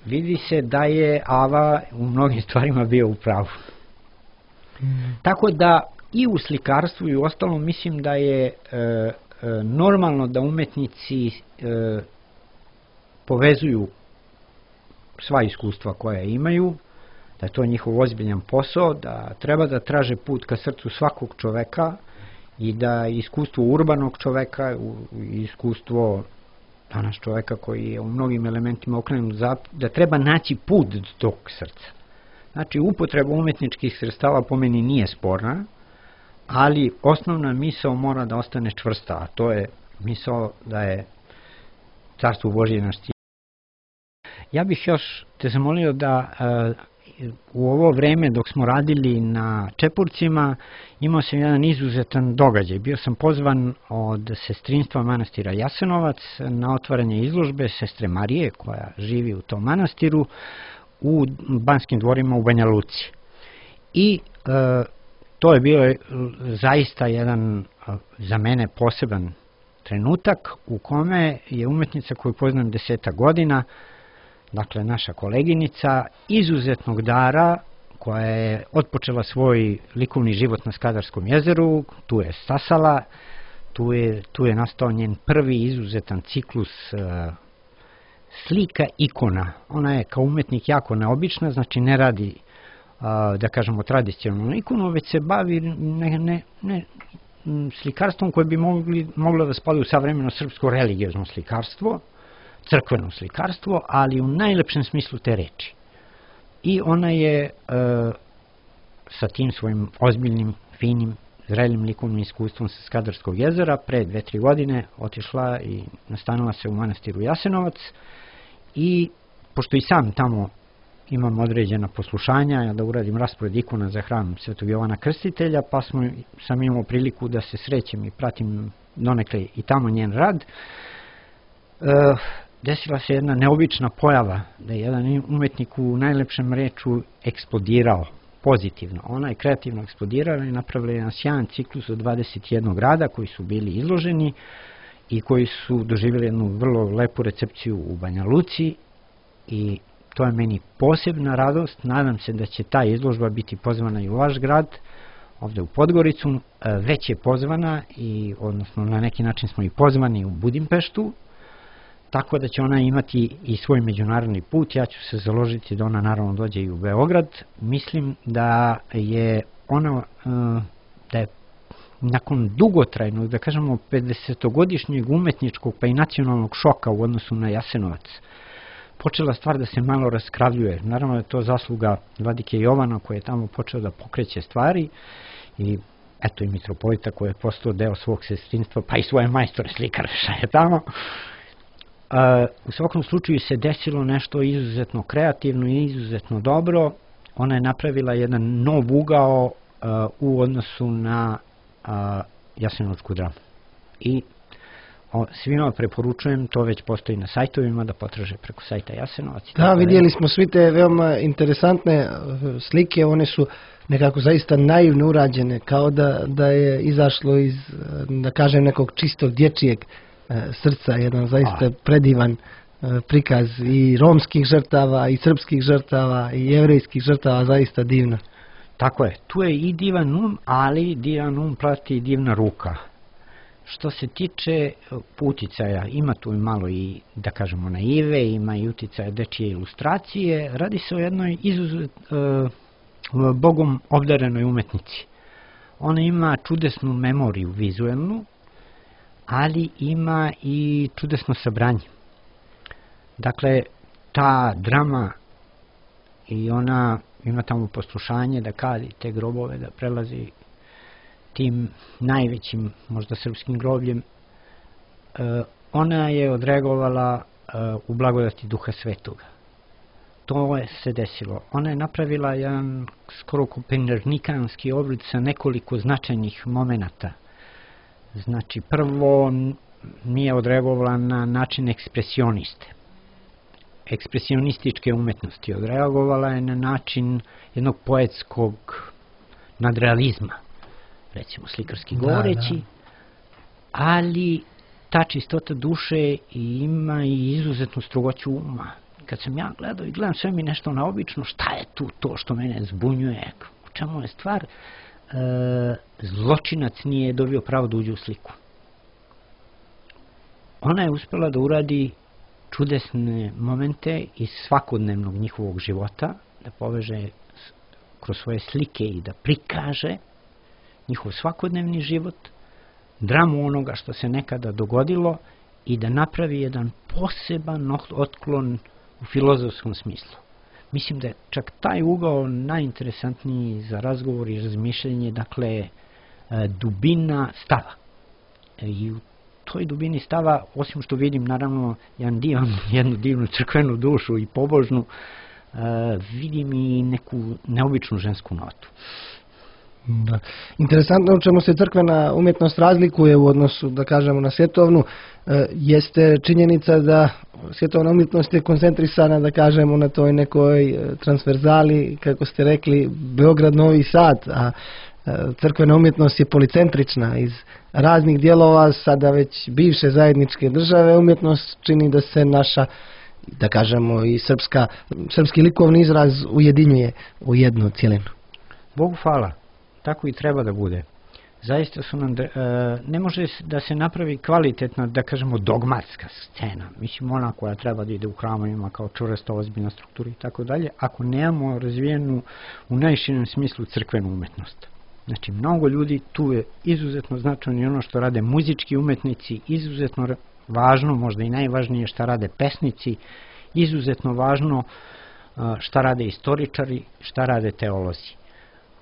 vidi se da je Ava u mnogim stvarima bio u pravu. Mm. Tako da i u slikarstvu i u ostalom mislim da je e, e, normalno da umetnici e, povezuju sva iskustva koja imaju, da je to njihov ozbiljan posao, da treba da traže put ka srcu svakog čoveka i da iskustvo urbanog čoveka, iskustvo danas čoveka koji je u mnogim elementima okrenut zapad, da treba naći put do tog srca. Znači, upotreba umetničkih sredstava po meni nije sporna, ali osnovna misao mora da ostane čvrsta, a to je misao da je Carstvo Božje naš cilj. Ja bih još te zamolio da uh, u ovo vreme dok smo radili na Čepurcima imao sam jedan izuzetan događaj. Bio sam pozvan od sestrinstva manastira Jasenovac na otvaranje izložbe sestre Marije koja živi u tom manastiru u Banskim dvorima u Banja Luci. I uh, to je bio zaista jedan uh, za mene poseban trenutak u kome je umetnica koju poznam deseta godina, dakle naša koleginica, izuzetnog dara koja je otpočela svoj likovni život na Skadarskom jezeru, tu je stasala, tu je, tu je nastao njen prvi izuzetan ciklus uh, slika ikona. Ona je kao umetnik jako neobična, znači ne radi, uh, da kažemo, tradicionalnu ikonu, već se bavi ne, ne, ne, slikarstvom koje bi mogli, moglo da spada u savremeno srpsko religiozno slikarstvo, crkveno slikarstvo, ali u najlepšem smislu te reči. I ona je e, sa tim svojim ozbiljnim, finim, zrelim likovnim iskustvom sa Skadarskog jezera pre dve, tri godine otišla i nastanila se u manastiru Jasenovac i pošto i sam tamo imam određena poslušanja da uradim raspored ikona za hram Svetog Jovana Krstitelja, pa smo, sam imao priliku da se srećem i pratim donekle i tamo njen rad. E, desila se jedna neobična pojava, da je jedan umetnik u najlepšem reču eksplodirao. pozitivno. Ona je kreativno eksplodirala i napravila jedan sjajan ciklus od dvadeset jedan grada koji su bili izloženi i koji su doživjeli jednu vrlo lepu recepciju u Banja Luci i to je meni posebna radost. Nadam se da će ta izložba biti pozvana i u vaš grad, ovdje u Podgoricu. Već je pozvana i odnosno na neki način smo i pozvani u Budimpeštu, tako da će ona imati i svoj međunarodni put. Ja ću se založiti da ona naravno dođe i u Beograd. Mislim da je ona da je nakon dugotrajnog, da kažemo pedesetogodišnjeg umetničkog pa i nacionalnog šoka u odnosu na Jasenovac, počela stvar da se malo raskravljuje. Naravno je to zasluga vladike Jovana koji je tamo počeo da pokreće stvari i eto i mitropolita koji je postao deo svog sestrinstva pa i svoje majstore slikare šaje tamo. U svakom slučaju se desilo nešto izuzetno kreativno i izuzetno dobro. Ona je napravila jedan nov ugao u odnosu na jasenovačku dramu. I svima preporučujem, to već postoji na sajtovima, da potraže preko sajta Jasenovac.
Da, vidjeli smo svi te veoma interesantne slike, one su nekako zaista naivno urađene, kao da, da je izašlo iz, da kažem, nekog čistog dječijeg srca, jedan zaista A. predivan prikaz i romskih žrtava, i srpskih žrtava, i jevrejskih žrtava, zaista divno.
Tako je, tu je i divan um, ali divan um prati i divna ruka. Što se tiče uticaja, ima tu malo i, da kažemo, naive, ima i uticaja dečije ilustracije. Radi se o jednoj izuzet, uh, bogom obdarenoj umetnici. Ona ima čudesnu memoriju vizuelnu, ali ima i čudesno sabranje. Dakle, ta drama i ona ima tamo poslušanje da kadi te grobove, da prelazi tim najvećim, možda srpskim grobljem. E, ona je odreagovala e, u blagodati Duha Svetoga. To je se desilo. Ona je napravila jedan skoro kopernikanski oblik sa nekoliko značajnih momenata. Znači, prvo nije odreagovala na način ekspresioniste. Ekspresionističke umetnosti. Odreagovala je na način jednog poetskog nadrealizma, recimo slikarski govoreći, da, da. Ali ta čistota duše ima i izuzetnu strogoću uma. Kad sam ja gledao i gledam sve mi nešto naobično, šta je tu to što mene zbunjuje, u čemu je stvar, e, zločinac nije dobio pravo da uđe u sliku. Ona je uspela da uradi čudesne momente iz svakodnevnog njihovog života, da poveže kroz svoje slike i da prikaže njihov svakodnevni život, dramu onoga što se nekada dogodilo i da napravi jedan poseban otklon u filozofskom smislu. Mislim da je čak taj ugao najinteresantniji za razgovor i razmišljanje, dakle, dubina stava. I u toj dubini stava, osim što vidim naravno jedan divan, jednu divnu crkvenu dušu i pobožnu, vidim i neku neobičnu žensku notu.
Da. Interesantno u čemu se crkvena umjetnost razlikuje u odnosu, da kažemo, na svjetovnu, e, jeste činjenica da svjetovna umjetnost je koncentrisana, da kažemo, na toj nekoj transverzali, kako ste rekli, Beograd-Novi Sad, a e, crkvena umjetnost je policentrična iz raznih dijelova, sada već bivše zajedničke države. Umjetnost čini da se naša, da kažemo, i srpska, srpski likovni izraz ujedinjuje u jednu cijelinu.
Bogu hvala. Tako i treba da bude. Zaista su nam, e, ne može da se napravi kvalitetna, da kažemo, dogmatska scena. Mislim, ona koja treba da ide u hramovima kao čvrsta, ozbiljna struktura i tako dalje, ako nemamo razvijenu u najširem smislu crkvenu umetnost. Znači, mnogo ljudi, tu je izuzetno značajno i ono što rade muzički umetnici, izuzetno važno, možda i najvažnije šta rade pesnici, izuzetno važno šta rade istoričari, šta rade teolozi.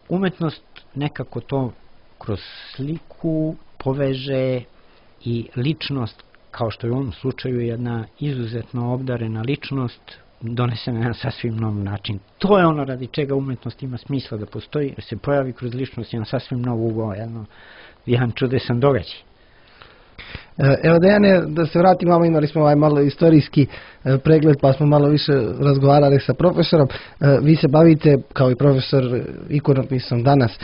Umetnost nekako to kroz sliku poveže i ličnost, kao što je u ovom slučaju jedna izuzetno obdarena ličnost, donese na jedan sasvim nov način. To je ono radi čega umetnost ima smisla da postoji, jer se pojavi kroz ličnost jedan sasvim nov ugao, jedan čudesan događaj.
Evo Dejane, da se vratim, malo imali smo ovaj malo istorijski pregled, pa smo malo više razgovarali sa profesorom. Vi se bavite kao i profesor ikonopisom danas.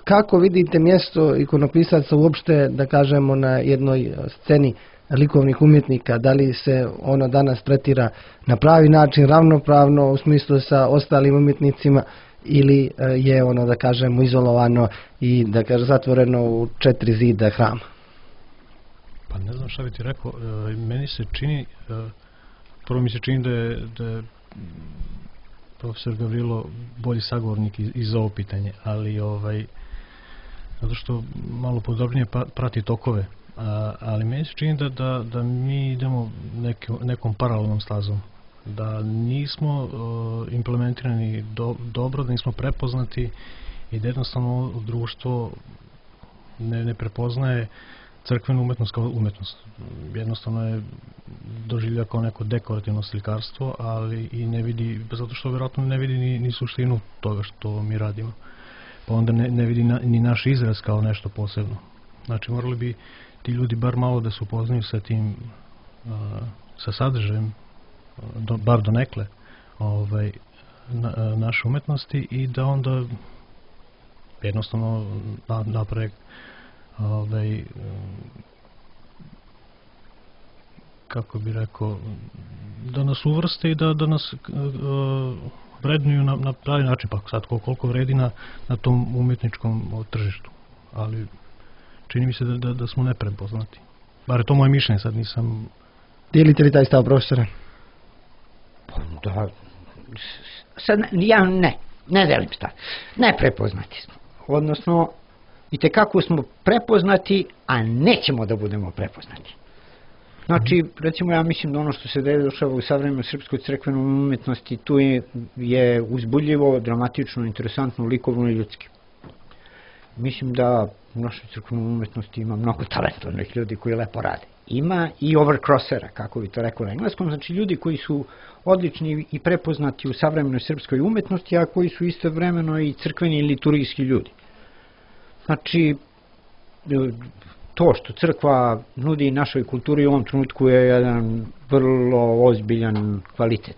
Kako vidite mjesto ikonopisaca uopšte, da kažemo, na jednoj sceni likovnih umjetnika? Da li se ono danas tretira na pravi način, ravnopravno u smislu sa ostalim umjetnicima, ili je ono, da kažemo, izolovano i, da kažem, zatvoreno u četiri zida hrama?
Pa ne znam šta bi ti rekao, e, meni se čini, e, prvo mi se čini da je, da je profesor Gavrilo bolji sagovornik iz, iz ovo pitanje, ali ovaj, zato što malo podobnije prati tokove, a, ali meni se čini da, da, da mi idemo neke, nekom paralelnom stazom, da nismo e, implementirani do, dobro, da nismo prepoznati i da jednostavno društvo ne, ne prepoznaje crkvenu umetnost kao umetnost. Jednostavno je doživlja kao neko dekorativno slikarstvo, ali i ne vidi, zato što vjerojatno ne vidi ni, ni suštinu toga što mi radimo. Pa onda ne, ne vidi na, ni naš izraz kao nešto posebno. Znači morali bi ti ljudi bar malo da se upoznaju sa tim, a, sa sadržajem, do, bar do nekle, ovaj, na, a, naše umetnosti, i da onda jednostavno na, naprave ovaj, kako bi rekao, da nas uvrste i da, da nas uh, vrednuju na, na pravi način, pa sad koliko vredi na, na tom umjetničkom tržištu, ali čini mi se da, da, da smo neprepoznati. Bar je to moje mišljenje, sad nisam...
Dijelite li taj stav, profesore?
Da, sad ja ne, ne delim stav. Neprepoznati smo, odnosno i tekako smo prepoznati, a nećemo da budemo prepoznati. Znači, recimo, ja mislim da ono što se dešava u savremenoj srpskoj crkvenoj umjetnosti, tu je, je uzbudljivo, dramatično, interesantno, likovno i ljudski. Mislim da u našoj crkvenoj umjetnosti ima mnogo talentovnih ljudi koji lepo rade. Ima i overcrossera, kako bi to rekao na engleskom, znači ljudi koji su odlični i prepoznati u savremenoj srpskoj umjetnosti, a koji su istovremeno i crkveni i liturgijski ljudi. Znači, to što crkva nudi našoj kulturi u ovom trenutku je jedan vrlo ozbiljan kvalitet.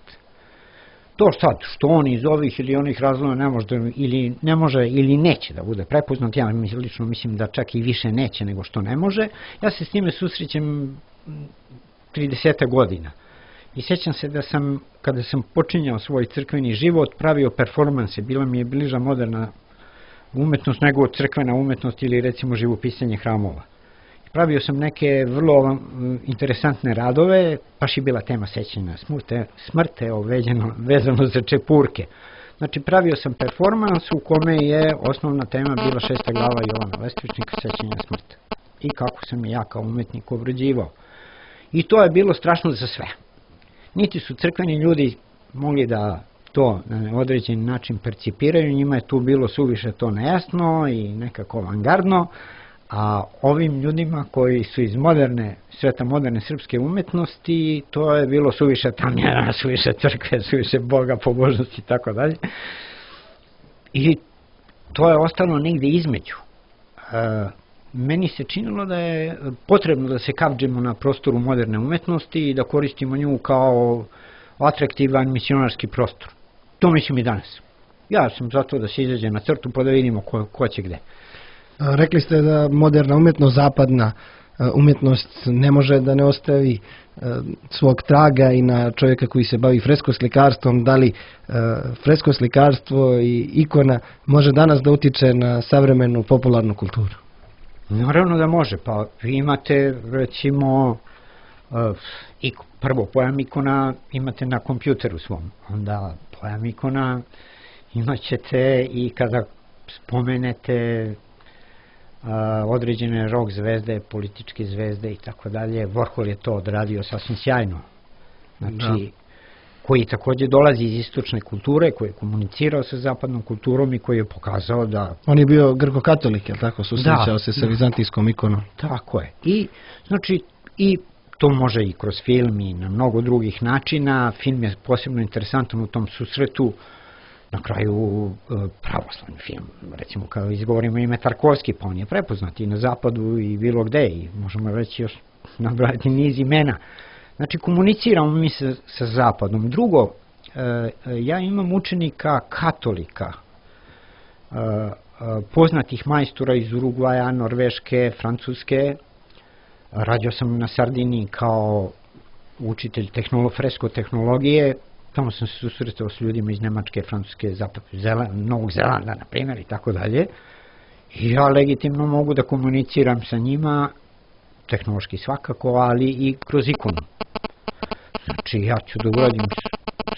To sad, što on iz ovih ili onih razloga ne može, ili, ne može ili neće da bude prepoznat, ja lično mislim da čak i više neće nego što ne može, ja se s time susrećem trideset godina. I sjećam se da sam, kada sam počinjao svoj crkveni život, pravio performanse, bila mi je bliža moderna umetnost nego crkvena umetnost ili recimo živopisanje hramova. Pravio sam neke vrlo interesantne radove, baš je bila tema sećanja smrte, smrte oveđeno, vezano za čepurke. Znači pravio sam performans u kome je osnovna tema bila šesta glava Jovana Lestvičnika, sećanja smrte. I kako sam ja kao umetnik obrađivao. I to je bilo strašno za sve. Niti su crkveni ljudi mogli da to na određeni način percipiraju, njima je tu bilo suviše to nejasno i nekako avangardno, a ovim ljudima koji su iz moderne, sveta moderne srpske umetnosti, to je bilo suviše tamnjena, suviše crkve, suviše Boga, pobožnosti i tako dalje. I to je ostalo negde između. E, meni se činilo da je potrebno da se kapđemo na prostoru moderne umetnosti i da koristimo nju kao atraktivan misionarski prostor. To mislim i danas. Ja sam zato da se izađe na crtu pa da vidimo ko, ko će gde.
Rekli ste da moderna umjetnost, zapadna umjetnost ne može da ne ostavi svog traga i na čovjeka koji se bavi freskoslikarstvom. Da li freskoslikarstvo i ikona može danas da utiče na savremenu popularnu kulturu?
Naravno da može. Pa vi imate recimo prvo pojam ikona imate na kompjuteru svom. Onda pojam ikona imat ćete i kada spomenete Uh, određene rock zvezde, političke zvezde i tako dalje. Warhol je to odradio sasvim sjajno. Znači, da. Koji također dolazi iz istočne kulture, koji je komunicirao sa zapadnom kulturom i koji je pokazao da...
On je bio grko-katolik, je li tako? Susrećao da, se sa da. vizantijskom ikonom.
Tako je. I, znači, i to može i kroz film i na mnogo drugih načina. Film je posebno interesantan u tom susretu. na kraju pravoslavni film. Recimo, kao izgovorimo ime Tarkovski, pa on je prepoznat i na zapadu i bilo gde, i možemo reći još nabrati niz imena. Znači, komuniciramo mi sa, sa zapadom. Drugo, ja imam učenika katolika, poznatih majstora iz Urugvaja, Norveške, Francuske. Radio sam na Sardiniji kao učitelj fresko tehnologije. Tamo sam se susretao s ljudima iz Nemačke, Francuske, Novog Zelanda, na primjer, i tako dalje. I ja legitimno mogu da komuniciram sa njima, tehnološki svakako, ali i kroz ikonu. Znači, ja ću da uradim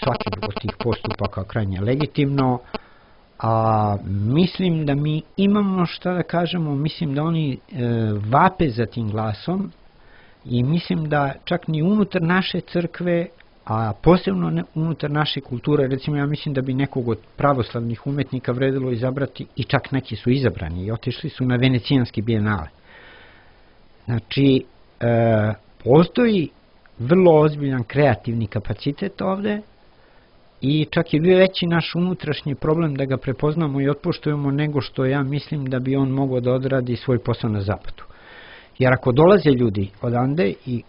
svaki od tih postupaka krajnje legitimno, a mislim da mi imamo šta da kažemo, mislim da oni e, vape za tim glasom i mislim da čak ni unutar naše crkve, a posebno ne, unutar naše kulture, recimo ja mislim da bi nekog od pravoslavnih umetnika vredilo izabrati, i čak neki su izabrani i otišli su na Venecijanski bijenale. Znači, e, postoji vrlo ozbiljan kreativni kapacitet ovde i čak je bio veći naš unutrašnji problem da ga prepoznamo i otpoštujemo nego što ja mislim da bi on mogao da odradi svoj posao na zapadu. Jer ako dolaze ljudi odande i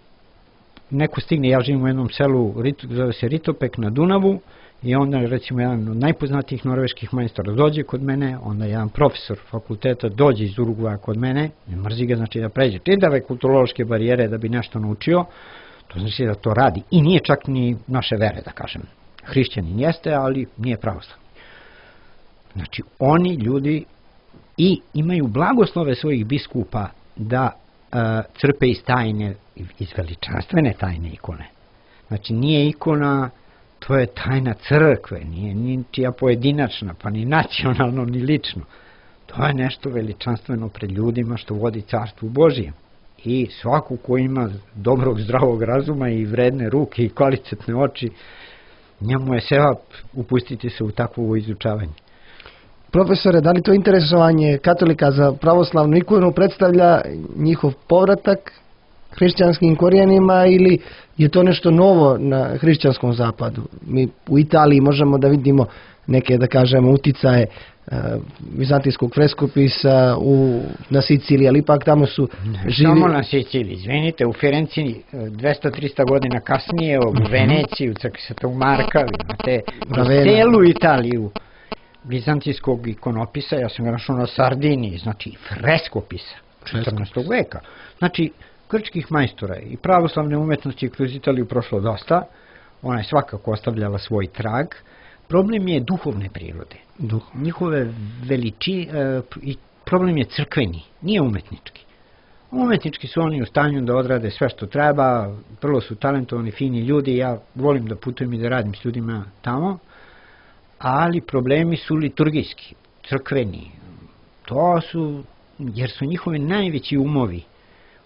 neko stigne, ja živim u jednom selu, zove se Ritopek na Dunavu, i onda recimo jedan od najpoznatijih norveških majstora dođe kod mene, onda jedan profesor fakulteta dođe iz Urugvaja kod mene, ne mrzi ga, znači da pređe čitave kulturološke barijere da bi nešto naučio, to znači da to radi i nije čak ni naše vere, da kažem. Hrišćanin jeste, ali nije pravoslavni. Znači, oni ljudi i imaju blagoslove svojih biskupa da uh, crpe iz tajne, iz veličanstvene tajne ikone. Znači, nije ikona, to je tajna crkve, nije ničija pojedinačna, pa ni nacionalno, ni lično. To je nešto veličanstveno pred ljudima što vodi carstvu Božijem. I svaku ko ima dobrog, zdravog razuma i vredne ruke i kvalitetne oči, njemu je sevap upustiti se u takvo izučavanje.
Profesore, da li to interesovanje katolika za pravoslavnu ikonu predstavlja njihov povratak hrišćanskim korijenima ili je to nešto novo na hrišćanskom zapadu? Mi u Italiji možemo da vidimo neke, da kažemo, uticaje uh, vizantijskog freskopisa u, na Siciliji, ali ipak tamo su živi...
Samo na Siciliji, izvinite, u Firenci dvesta do trista godina kasnije, u Veneciji, u crkvi Svetog Marka, imate u celu Italiju vizantijskog ikonopisa, ja sam ga našao na Sardiniji, znači freskopisa četrnaestog veka. Znači, grčkih majstora i pravoslavne umetnosti kroz Italiju prošlo dosta, ona je svakako ostavljala svoj trag. Problem je duhovne prirode. Duh. Njihove veliči, e, i problem je crkveni, nije umetnički. Umetnički su oni u stanju da odrade sve što treba, vrlo su talentovani, fini ljudi, ja volim da putujem i da radim s ljudima tamo, ali problemi su liturgijski, crkveni. To su, jer su njihovi najveći umovi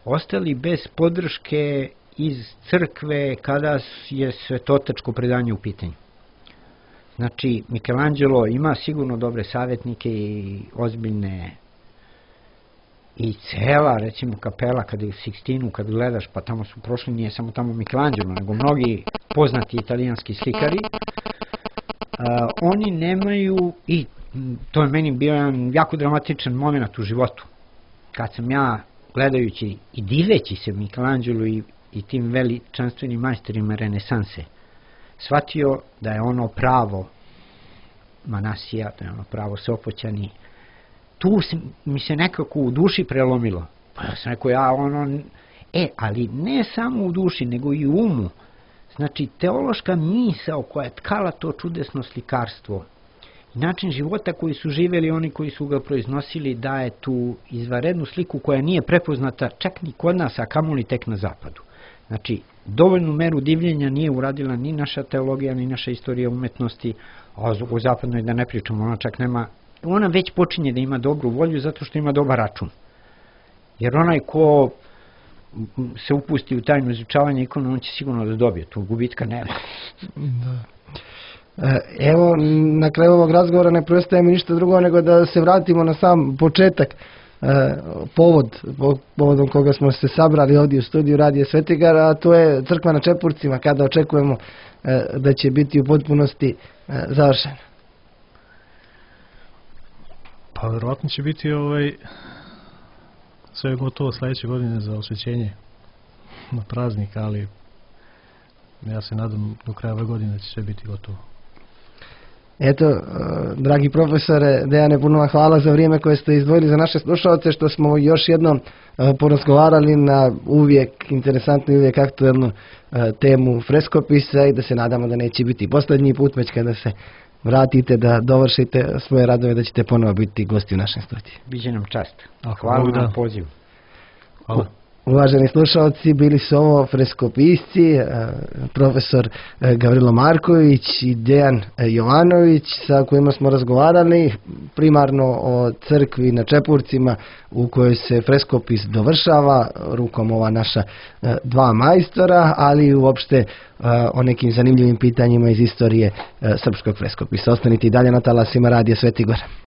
ostali bez podrške iz crkve kada je svetotačko predanje u pitanju. Znači, Michelangelo ima sigurno dobre savjetnike i ozbiljne i cela, recimo, kapela, kada je u Sixtinu, kad gledaš, pa tamo su prošli, nije samo tamo Michelangelo, nego mnogi poznati italijanski slikari, a, oni nemaju, i to je meni bio jedan jako dramatičan moment u životu, kad sam ja, gledajući i diveći se Michelangelo i, i tim veličanstvenim majstorima renesanse, shvatio da je ono pravo Manasija, da je ono pravo Sopoćani. Tu mi se nekako u duši prelomilo. Pa ja sam rekao, ja ono... E, ali ne samo u duši, nego i u umu. Znači, teološka misao koja je tkala to čudesno slikarstvo i način života koji su živeli oni koji su ga proiznosili daje tu izvanrednu sliku koja nije prepoznata čak ni kod nas, a kamoli tek na zapadu. Znači, dovoljnu meru divljenja nije uradila ni naša teologija, ni naša istorija umetnosti, a u zapadnoj da ne pričamo, ona čak nema, ona već počinje da ima dobru volju zato što ima dobar račun. Jer onaj ko se upusti u tajno izučavanje ikona, on će sigurno da dobije, tu gubitka nema.
Da. Evo, na kraju ovog razgovora ne preostaje mi ništa drugo nego da se vratimo na sam početak, povod, povodom koga smo se sabrali ovdje u studiju Radija Svetigar, a to je crkva na Čepurcima, kada očekujemo da će biti u potpunosti završena.
Pa verovatno će biti ovaj, sve gotovo sledeće godine za osvećenje na praznik, ali ja se nadam do kraja ove godine će sve biti gotovo.
Eto, uh, dragi profesore Dejane, puno vam hvala za vrijeme koje ste izdvojili za naše slušalce, što smo još jednom uh, porazgovarali na uvijek interesantnu i uvijek aktuelnu uh, temu freskopisa i da se nadamo da neće biti posljednji put, već kada se vratite da dovršite svoje radove, da ćete ponovo biti gosti u našem studiju.
Biće nam čast.
A,
Hvala
da.
na pozivu.
Hvala.
Uvaženi slušalci, bili su ovo freskopisci, profesor Gavrilo Marković i Dejan Jovanović, sa kojima smo razgovarali primarno o crkvi na Čepurcima u kojoj se freskopis dovršava rukom ova naša dva majstora, ali i uopšte o nekim zanimljivim pitanjima iz istorije srpskog freskopisa. Ostanite i dalje na talasima Radija Sveti Gor.